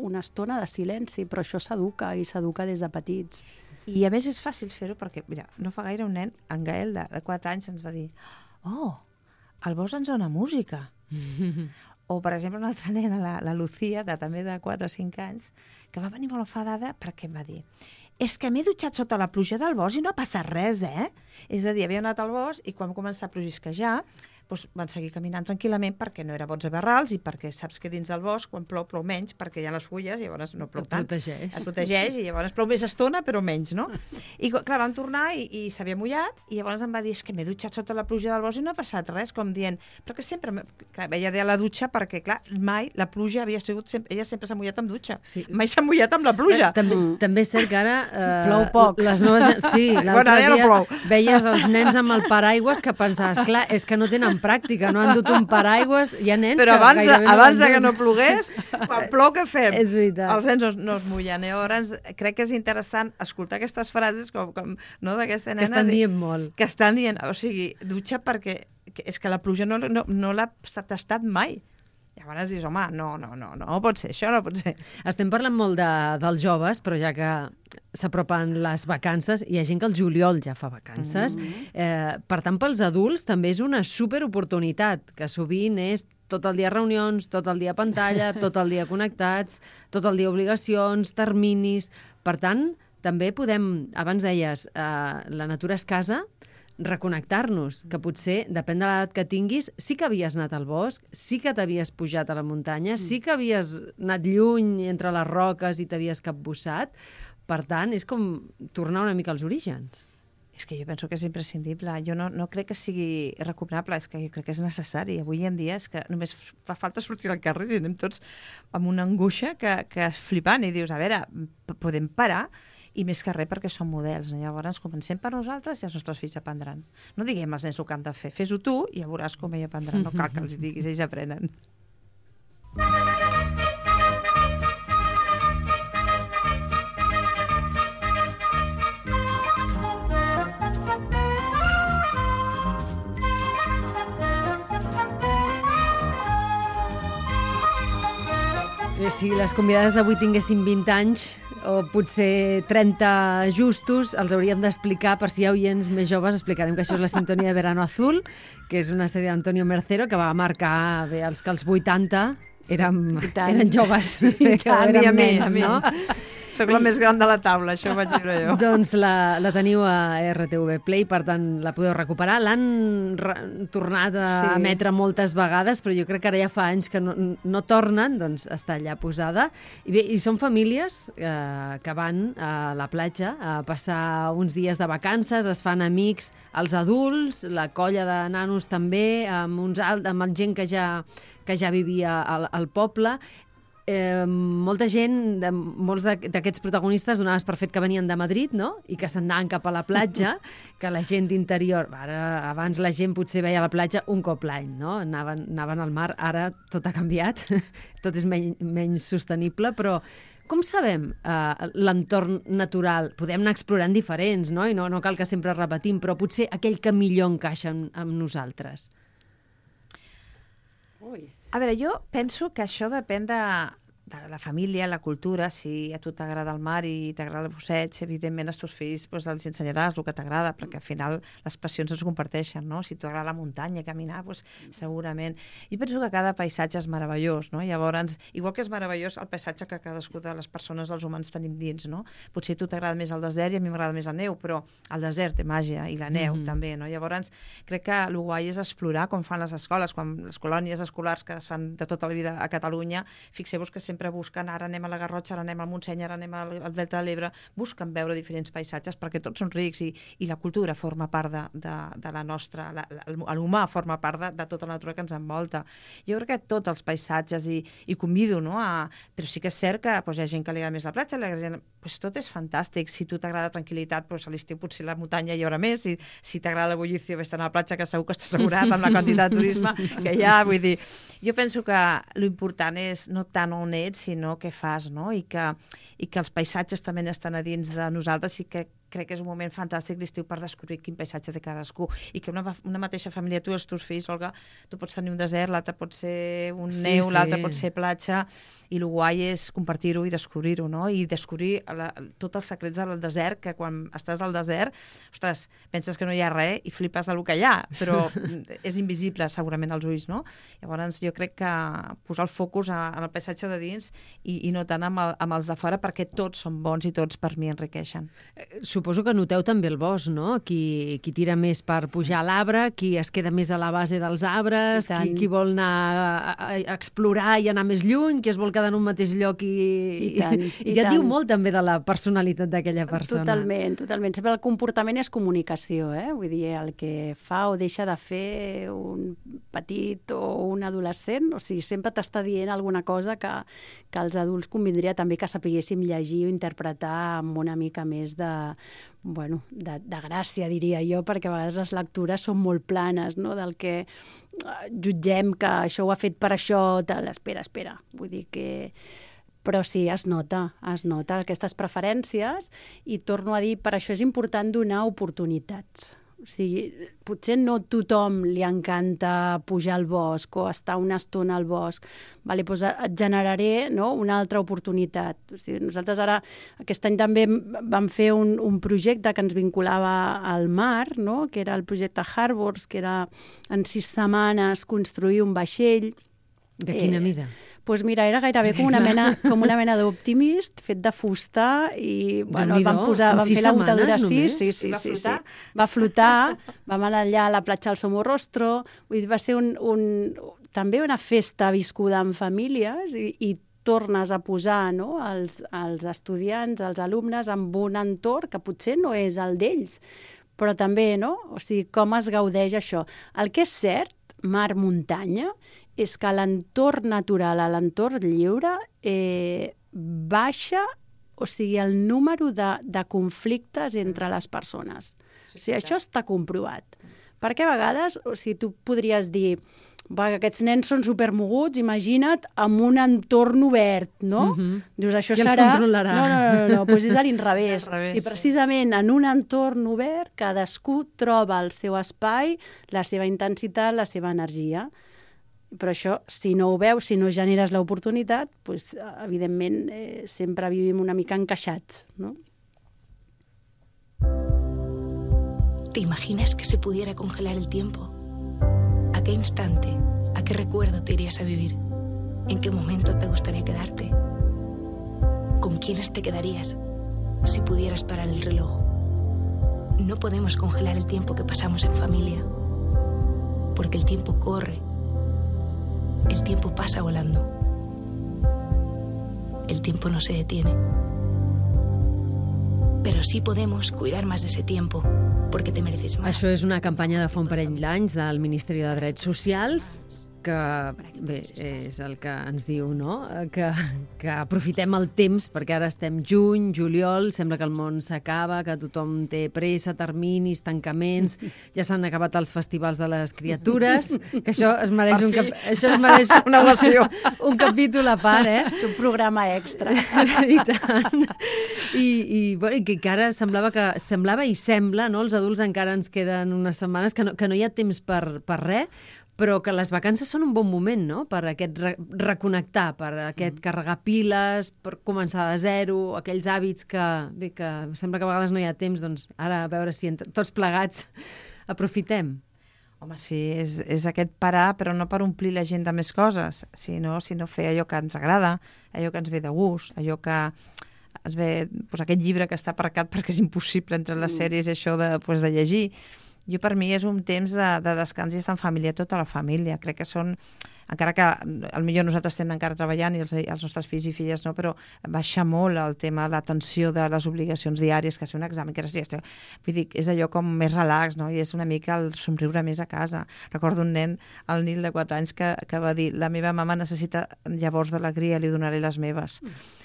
una estona de silenci, però això s'educa i s'educa des de petits. I a més és fàcil fer-ho perquè, mira, no fa gaire un nen, en Gael, de 4 anys, ens va dir al bosc ens dona música. O, per exemple, una altra nena, la Lucía, també de 4 o 5 anys, que va venir molt enfadada perquè em va dir és que m'he dutxat sota la pluja del bosc i no ha passat res, És a dir, havia anat al bosc i quan va començar a plogisquejar, van seguir caminant tranquil·lament perquè no era bots a barrals i perquè saps que dins del bosc, quan plou menys, perquè hi ha les fulles, i llavors no plou tant. Et protegeix i llavors plou més estona, però menys, no? I clar, vam tornar i s'havia mullat i llavors em va dir, és que m'he dutxat sota la pluja del bosc i no ha passat res, com dient, perquè sempre, clar, ella deia la dutxa perquè, clar, mai la pluja havia sigut, ella sempre s'ha mullat amb dutxa, mai s'ha mullat amb la pluja. També és cert que ara... Plou poc. Les noves... Sí, l'altre dia veies els nens amb el paraigües que pensaves, clar, és que no tenen pràctica, no han dut un paraigües, hi ha nens però que gairebé no abans que no plogués, quan plou què fem? És veritat. Els nens no es mullen. Llavors, crec que és interessant escoltar aquestes frases com no, d'aquesta nena. Que estan dient molt. Que estan dient, o sigui, dutxa perquè és que la pluja no l'ha tastat mai. Llavors dius, home, no pot ser, això no pot ser. Estem parlant molt dels joves, però ja que s'apropen les vacances, hi ha gent que el juliol ja fa vacances. Per tant, pels adults també és una superoportunitat, que sovint és tot el dia reunions, tot el dia pantalla, tot el dia connectats, tot el dia obligacions, terminis... Per tant, també podem, abans deies, la natura és casa, reconnectar-nos, que potser, depèn de l'edat que tinguis, sí que havies anat al bosc, sí que t'havies pujat a la muntanya, sí que havies anat lluny entre les roques i t'havies capbussat. Per tant, és com tornar una mica als orígens. És que jo penso que és imprescindible. Jo no crec que sigui recomanable, és que jo crec que és necessari. Avui en dia és que només fa falta sortir al carrer i anem tots amb una angoixa que és flipant i dius, a veure, podem parar? I més que res perquè són models. Llavors comencem per nosaltres i els nostres fills aprendran. No diguem als nens el que han de fer. Fes-ho tu i ja veuràs com ells aprendran. No cal que els diguis, ells aprenen. Si les convidades d'avui tinguessin 20 anys, o potser 30 justos, els hauríem d'explicar, per si hi ha oients més joves, explicarem que això és la sintonia de Verano Azul, que és una sèrie d'Antonio Mercero que va marcar bé, els que als 80 eren joves, érem nens, no? Soc la més gran de la taula, això ho vaig dir jo. Doncs la teniu a RTV Play, per tant la podeu recuperar. L'han tornat a emetre moltes vegades, però jo crec que ara ja fa anys que no tornen, doncs està allà posada. I bé, i són famílies que van a la platja a passar uns dies de vacances, es fan amics els adults, la colla de nanos també, amb gent que ja vivia al poble. Molta gent, molts d'aquests protagonistes donaves per fet que venien de Madrid, no? I que s'anaven cap a la platja, que la gent d'interior... Abans la gent potser veia la platja un cop l'any, no? Anaven al mar, ara tot ha canviat, tot és menys sostenible, però com sabem l'entorn natural? Podem anar explorant diferents, no? I no cal que sempre repetim, però potser aquell que millor encaixa amb nosaltres. A veure, jo penso que això depèn de la família, la cultura. Si a tu t'agrada el mar i t'agrada el busseig, evidentment als teus fills els ensenyaràs el que t'agrada, perquè al final les passions es comparteixen, no? Si t'agrada la muntanya, caminar, segurament. Jo penso que cada paisatge és meravellós, no? Llavors, igual que és meravellós el paisatge que cadascú de les persones, els humans, tenim dins, no? Potser a tu t'agrada més el desert i a mi m'agrada més la neu, però el desert té màgia i la neu també, no? Llavors, crec que el guai és explorar com fan les escoles, quan les colònies escolars que es fan de tota la vida a Catalunya, fixeu-vos que sempre sempre busquen, ara anem a la Garrotxa, ara anem al Montseny, ara anem al Delta de l'Ebre, busquen veure diferents paisatges perquè tots són rics i la cultura forma part de la nostra, l'humà forma part de tota la natura que ens envolta. Jo crec que tots els paisatges, i convido, no? Però sí que és cert que hi ha gent que li agrada més la platja, tot és fantàstic. Si tu t'agrada tranquil·litat, a l'estiu potser la muntanya hi haurà més, si t'agrada la bullició, vés-te'n a la platja, que segur que estàs assegurat amb la quantitat de turisme que hi ha. Vull dir, jo penso que l'important és no tant on ets, sinó què fas, no? I que els paisatges també estan a dins de nosaltres, i que crec que és un moment fantàstic l'estiu per descobrir quin paisatge té cadascú, i que una mateixa família, tu i els teus fills, Olga, tu pots tenir un desert, l'altre pot ser un neu, l'altre pot ser platja, i el guai és compartir-ho i descobrir-ho, no? I descobrir tots els secrets del desert, que quan estàs al desert, ostres, penses que no hi ha res i flipes del que hi ha, però és invisible segurament als ulls, no? Llavors jo crec que posar el focus en el paisatge de dins i no tant amb els de fora, perquè tots són bons i tots per mi enriqueixen. Suposo que noteu també el bosc, no? Qui tira més per pujar a l'arbre, qui es queda més a la base dels arbres, qui vol anar a explorar i anar més lluny, qui es vol quedar en un mateix lloc i ja et diu molt també de la personalitat d'aquella persona. Totalment. Sempre el comportament és comunicació, Vull dir, el que fa o deixa de fer un petit o un adolescent, o sigui, sempre t'està dient alguna cosa que els adults convindria també que sapiguéssim llegir o interpretar amb una mica més de gràcia, diria jo, perquè a vegades les lectures són molt planes, no? Del que jutgem que això ho ha fet per això, espera. Vull dir que... Però sí, es nota aquestes preferències, i torno a dir, per això és important donar oportunitats. O sigui, potser no tothom li encanta pujar al bosc o estar una estona al bosc. Vale, doncs et generaré, no, una altra oportunitat. O sigui, nosaltres ara, aquest any també vam fer un projecte que ens vinculava al mar, no? Que era el projecte Harbors, que era en 6 setmanes construir un vaixell. De quina mida? Doncs mira, era gairebé com una mena d'Optimist, fet de fusta, i vam fer la botadura, sí. Va flotar, vam anar allà a la platja del Somorrostro, vull dir, va ser també una festa viscuda en famílies, i tornes a posar, no, els estudiants, els alumnes, en un entorn que potser no és el d'ells, però també, no? O sigui, com es gaudeix això. El que és cert, mar-muntanya, és que l'entorn natural, l'entorn lliure, baixa, o sigui, el número de conflictes entre les persones. O sigui, això està comprovat. Perquè a vegades, o sigui, tu podries dir, aquests nens són supermoguts, imagina't, amb un entorn obert, no? Dius, això serà... Qui els controlarà? No, doncs és a l'inrevés. O sigui, precisament en un entorn obert, cadascú troba el seu espai, la seva intensitat, la seva energia. Però això, si no ho veus, si no generes l'oportunitat, doncs, evidentment, sempre vivim una mica encaixats, ¿no? ¿Te imaginas que se pudiera congelar el tiempo? ¿A qué instante, a qué recuerdo te irías a vivir? ¿En qué momento te gustaría quedarte? ¿Con quiénes te quedarías si pudieras parar el reloj? No podemos congelar el tiempo que pasamos en familia, porque el tiempo corre. El tiempo pasa volando. El tiempo no se detiene. Però sí podemos cuidar más de ese tiempo, porque te mereces más. Això és una campanya de fa un parell d'anys del Ministeri de Drets Socials, que bé, és el que ens diu, no? Que aprofitem el temps, perquè ara estem juny, juliol, sembla que el món s'acaba, que tothom té pressa, terminis, tancaments, ja s'han acabat els festivals de les criatures, que això es mereix una ovació, un capítol a part, És un programa extra. I tant. I que ara semblava i sembla, no? Els adults encara ens queden unes setmanes que no hi ha temps per res, però que les vacances són un bon moment, no?, per aquest reconnectar, per aquest carregar piles, per començar de zero, aquells hàbits que sembla que a vegades no hi ha temps, doncs ara a veure si tots plegats aprofitem. Home, sí, és aquest parar, però no per omplir la gent de més coses, sinó fer allò que ens agrada, allò que ens ve de gust, allò que ens ve, doncs aquest llibre que està aparcat perquè és impossible entre les sèries això de llegir. Per mi és un temps de descans i estar en família, tota la família. Crec que són encara que potser nosaltres estem encara treballant i els nostres fills i filles no, però baixa molt el tema de l'atenció de les obligacions diàries, que ser un examen, que vull dir, és allò com més relax, no? I és una mica el somriure més a casa. Recordo un nen, el Nil de 4 anys, que va dir, la meva mama necessita llavors d'alegria, li donaré les meves.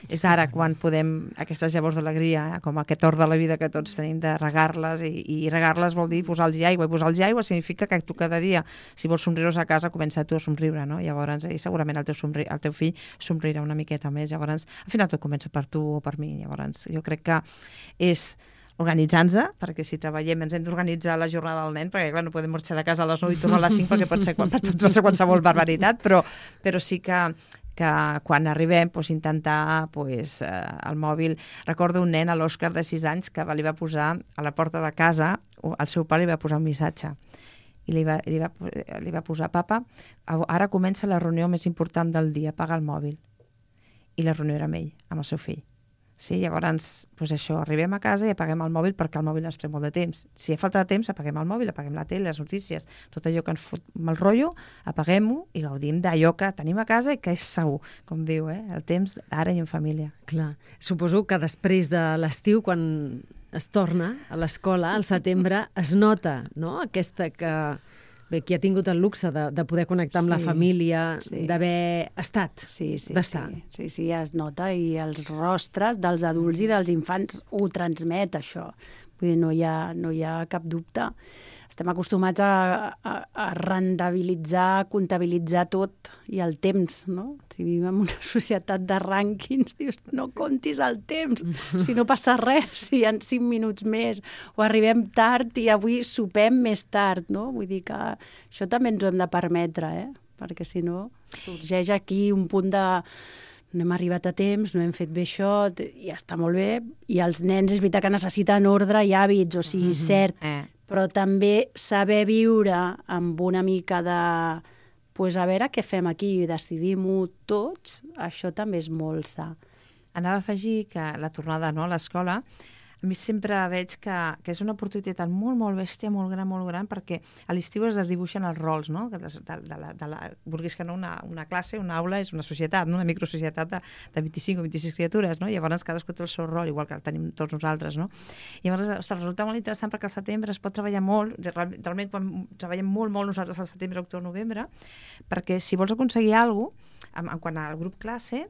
És ara quan podem, aquestes llavors d'alegria, com aquest or de la vida que tots tenim, de regar-les, i regar-les vol dir posar-los aigua, i posar-los aigua significa que tu cada dia, si vols somriure a casa, comença tu a somriure, no? Llavors, segurament el teu fill somriurà una miqueta més. Llavors, al final tot comença per tu o per mi. Llavors, jo crec que és organitzant-se, perquè si treballem ens hem d'organitzar la jornada del nen, perquè clar, no podem marxar de casa a les 9 i tornar a les 5 perquè pot ser qualsevol barbaritat, però sí que quan arribem intentar el mòbil. Recordo un nen, l'Òscar de 6 anys, que li va posar a la porta de casa, el seu pare li va posar un missatge i li va posar: papa, ara comença la reunió més important del dia, apaga el mòbil. I la reunió era amb ell, amb el seu fill. Sí, llavors, això, arribem a casa i apaguem el mòbil perquè el mòbil ens pren molt de temps. Si hi ha falta de temps, apaguem el mòbil, apaguem la tele, les notícies, tot allò que ens fot mal rotllo, apaguem-ho i gaudim d'allò que tenim a casa i que és segur, com diu, el temps ara i en família. Clar, suposo que després de l'estiu, quan es torna a l'escola, al setembre, es nota, no?, aquesta que... Bé, qui ha tingut el luxe de poder connectar amb la família, d'haver estat, d'estar. Sí, es nota, i els rostres dels adults i dels infants ho transmet, això. Vull dir, no hi ha cap dubte. Estem acostumats a rendibilitzar, comptabilitzar tot i el temps, no? Si vivim en una societat de rànquings, dius, no comptis el temps, si no passa res, si hi ha 5 minuts més, o arribem tard i avui sopem més tard, no? Vull dir que això també ens ho hem de permetre, perquè si no sorgeix aquí un punt de no hem arribat a temps, no hem fet bé això, i està molt bé, i els nens és veritat que necessiten ordre i hàbits, o sigui, cert, però també saber viure amb una mica de... a veure què fem aquí, decidim-ho tots, això també és molt sa. Anava a afegir que la tornada a l'escola, a mi sempre veig que és una oportunitat molt, molt bèstia, molt gran, perquè a l'estiu es dibuixen els rols, no? Vulguis que no, una classe, una aula és una societat, una microsocietat de 25 o 26 criatures, no? Llavors cadascú té el seu rol, igual que el tenim tots nosaltres, no? I llavors, resulta molt interessant perquè al setembre es pot treballar molt, realment quan treballem molt nosaltres al setembre, octubre, novembre, perquè si vols aconseguir alguna cosa, quan al grup classe,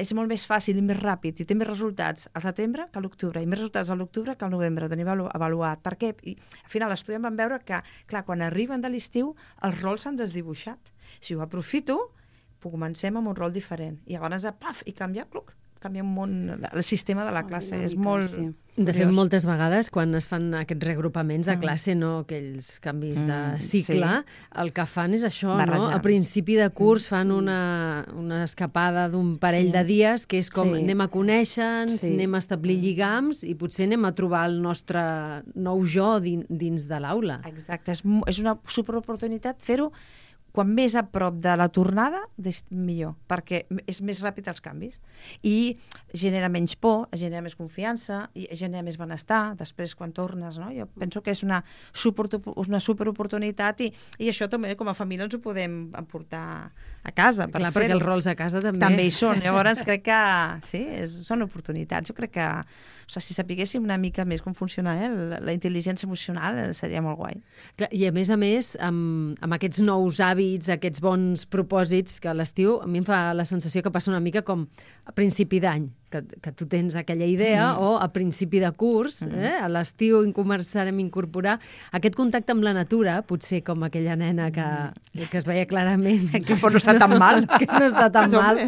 és molt més fàcil i més ràpid i té més resultats al setembre que a l'octubre i més resultats a l'octubre que al novembre, ho tenim avaluat. Per què? I al final l'estudi vam veure que, clar, quan arriben de l'estiu els rols s'han desdibuixat. Si ho aprofito, comencem amb un rol diferent i llavors i canvia un món, el sistema de la classe. És molt... Sí. De fet, moltes vegades, quan es fan aquests reagrupaments a classe, no aquells canvis de cicle, el que fan és això, no? A principi de curs fan una escapada d'un parell de dies, que és com anem a conèixer-nos, anem a establir lligams i potser anem a trobar el nostre nou jo dins de l'aula. Exacte, és una superoportunitat fer-ho quan més a prop de la tornada, millor, perquè és més ràpid els canvis. I genera menys por, genera més confiança, i genera més benestar després quan tornes, no? Jo penso que és una superoportunitat i això també com a família ens ho podem emportar a casa. Clar, perquè els rols a casa també. També hi són. Llavors crec que sí, són oportunitats. Jo crec que si sapiguéssim una mica més com funciona la intel·ligència emocional seria molt guai. Clar, i a més, amb aquests nous hàbits, aquests bons propòsits, que a l'estiu a mi em fa la sensació que passa una mica com a principi d'any, que tu tens aquella idea, o a principi de curs, a l'estiu començarem a incorporar aquest contacte amb la natura, potser com aquella nena que es veia clarament que no està tan mal. Que no està tan mal.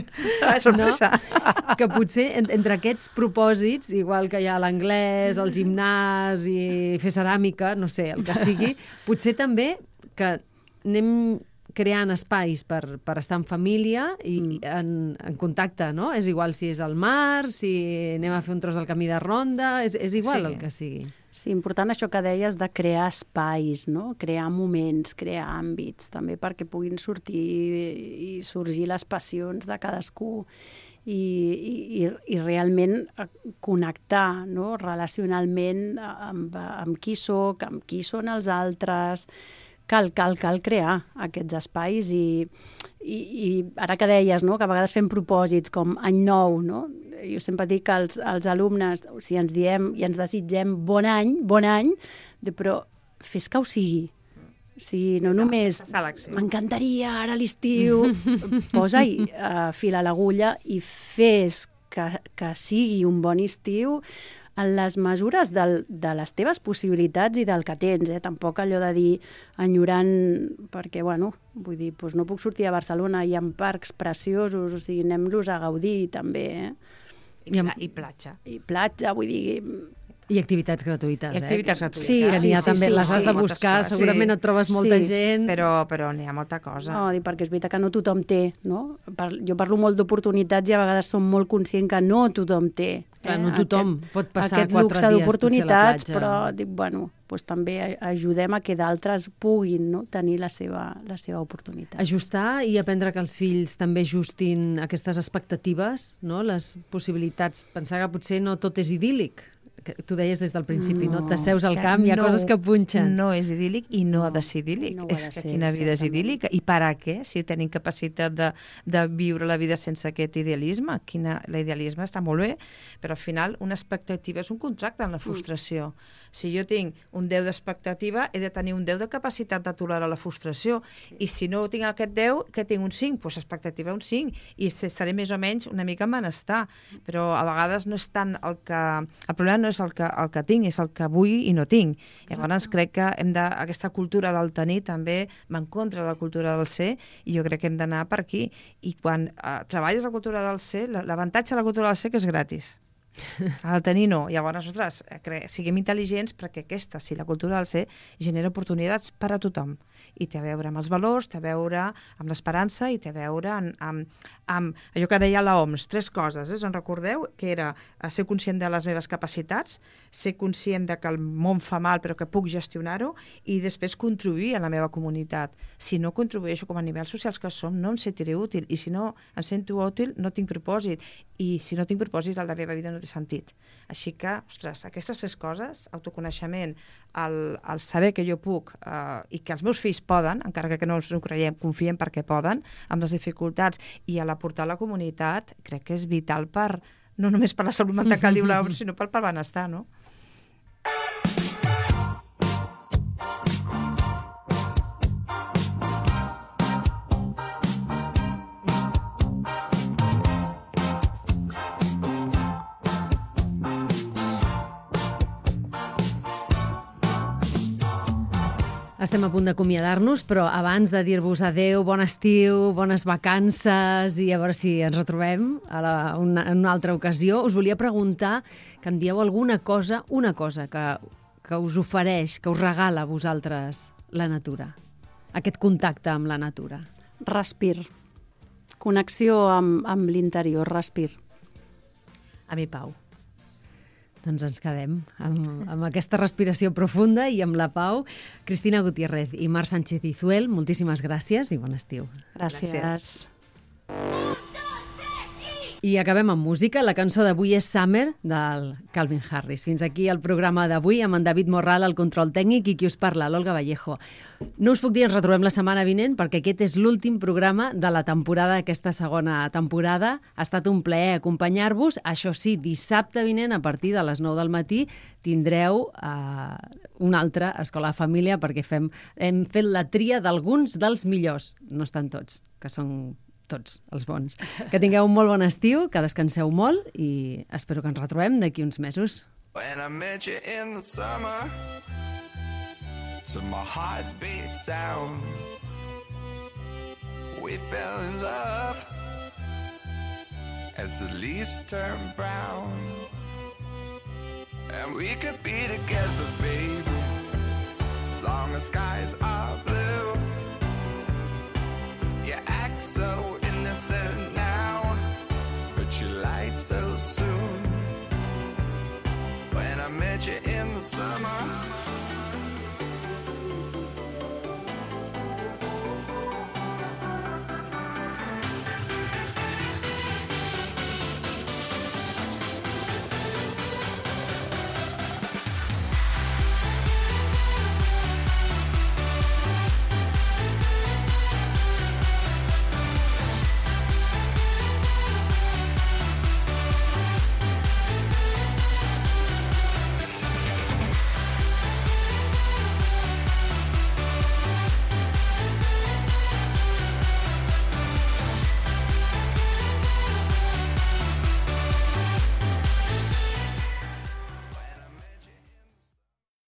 Sorpresa. No? Que potser entre aquests propòsits, igual que hi ha l'anglès, el gimnàs i fer ceràmica, no sé, el que sigui, potser també que anem creant espais per estar en família i en contacte, no? És igual si és al mar, si anem a fer un tros del camí de ronda, és igual el que sigui. Sí, important això que deies de crear espais, no? Crear moments, crear àmbits, també perquè puguin sorgir les passions de cadascú i realment connectar, no? Relacionalment amb qui soc, amb qui són els altres. Cal crear aquests espais i I ara que deies, no?, que a vegades fem propòsits com any nou, no? Jo sempre dic que als alumnes, si ens diem i ens desitgem bon any, però fes que ho sigui. Si no només m'encantaria ara l'estiu, posa-hi fil a l'agulla i fes que sigui un bon estiu en les mesures de les teves possibilitats i del que tens. Tampoc allò de dir enyorant, perquè, bueno, vull dir, doncs no puc sortir a Barcelona, hi ha parcs preciosos, o sigui, anem-los a gaudir també. I platja. I platja, vull dir... I activitats gratuïtes. I activitats gratuïtes. Sí, que n'hi ha també, les has de buscar, segurament et trobes molta gent. Però n'hi ha molta cosa. No, perquè és veritat que no tothom té, no? Jo parlo molt d'oportunitats i a vegades som molt conscient que no tothom té. Clar, no tothom pot passar 4 dies aquest luxe d'oportunitats, però dic, bueno, doncs també ajudem a que d'altres puguin, no?, tenir la seva oportunitat. Ajustar i aprendre que els fills també ajustin aquestes expectatives, no?, les possibilitats. Pensar que potser no tot és idíl·lic. Que tu deies des del principi, no? T'asseus al camp, hi ha coses que punxen. No és idíl·lic i no ha de ser idíl·lic. És que quina vida és idíl·lica. I per a què? Si tenim capacitat de viure la vida sense aquest idealisme. L'idealisme està molt bé, però al final una expectativa és un contracte en la frustració. Si jo tinc un 10 d'expectativa, he de tenir un 10 de capacitat de tolerar la frustració. I si no tinc aquest 10, que tinc un 5? Doncs expectativa un 5. I estaré més o menys una mica en benestar. Però a vegades no és tant el que... El problema no és el que tinc, és el que vull i no tinc. Llavors crec que aquesta cultura del tenir també va en contra de la cultura del ser, i jo crec que hem d'anar per aquí. I quan treballes la cultura del ser, l'avantatge de la cultura del ser que és gratis. El tenir no. Llavors, ostres, siguem intel·ligents perquè si la cultura del ser genera oportunitats per a tothom. I té a veure amb els valors, té a veure amb l'esperança i té a veure amb allò que deia l'OMS, 3 coses. En recordeu? Que era ser conscient de les meves capacitats, ser conscient de que el món fa mal però que puc gestionar-ho, i després contribuir a la meva comunitat. Si no contribueixo com a nivells socials que som, no em sentiré útil, i si no em sento útil no tinc propòsit, i si no tinc propòsit la meva vida no té sentit. Així que, ostres, aquestes 3 coses, autoconeixement, el saber que jo puc i que els meus fills poden, encara que no ens ho creiem, confiem perquè poden, amb les dificultats, i a l'aportar a la comunitat, crec que és vital no només per la salut mental que diu l'OMS, sinó pel benestar, no? Estem a punt d'acomiadar-nos, però abans de dir-vos adeu, bon estiu, bones vacances, i a veure si ens retrobem en una altra ocasió, us volia preguntar que em dieu una cosa que us ofereix, que us regala a vosaltres la natura, aquest contacte amb la natura. Respir. Connexió amb l'interior, respir. A mi, pau. Doncs ens quedem amb aquesta respiració profunda i amb la pau. Cristina Gutiérrez i Marc Sánchez Izuel, moltíssimes gràcies i bon estiu. Gràcies. I acabem amb música. La cançó d'avui és Summer, del Calvin Harris. Fins aquí el programa d'avui, amb en David Morral al control tècnic i qui us parla, l'Olga Vallejo. No us puc dir, ens retrobem la setmana vinent, perquè aquest és l'últim programa de la temporada, aquesta segona temporada. Ha estat un plaer acompanyar-vos. Això sí, dissabte vinent, a partir de les 9 del matí, tindreu una altra Escola de Família, perquè hem fet la tria d'alguns dels millors. No estan tots, que són tots els bons. Que tingueu un molt bon estiu, que descanseu molt i espero que ens retrobem d'aquí uns mesos. When I met you in the summer, to my heartbeat sound, we fell in love as the leaves turn brown, and we could be together, baby,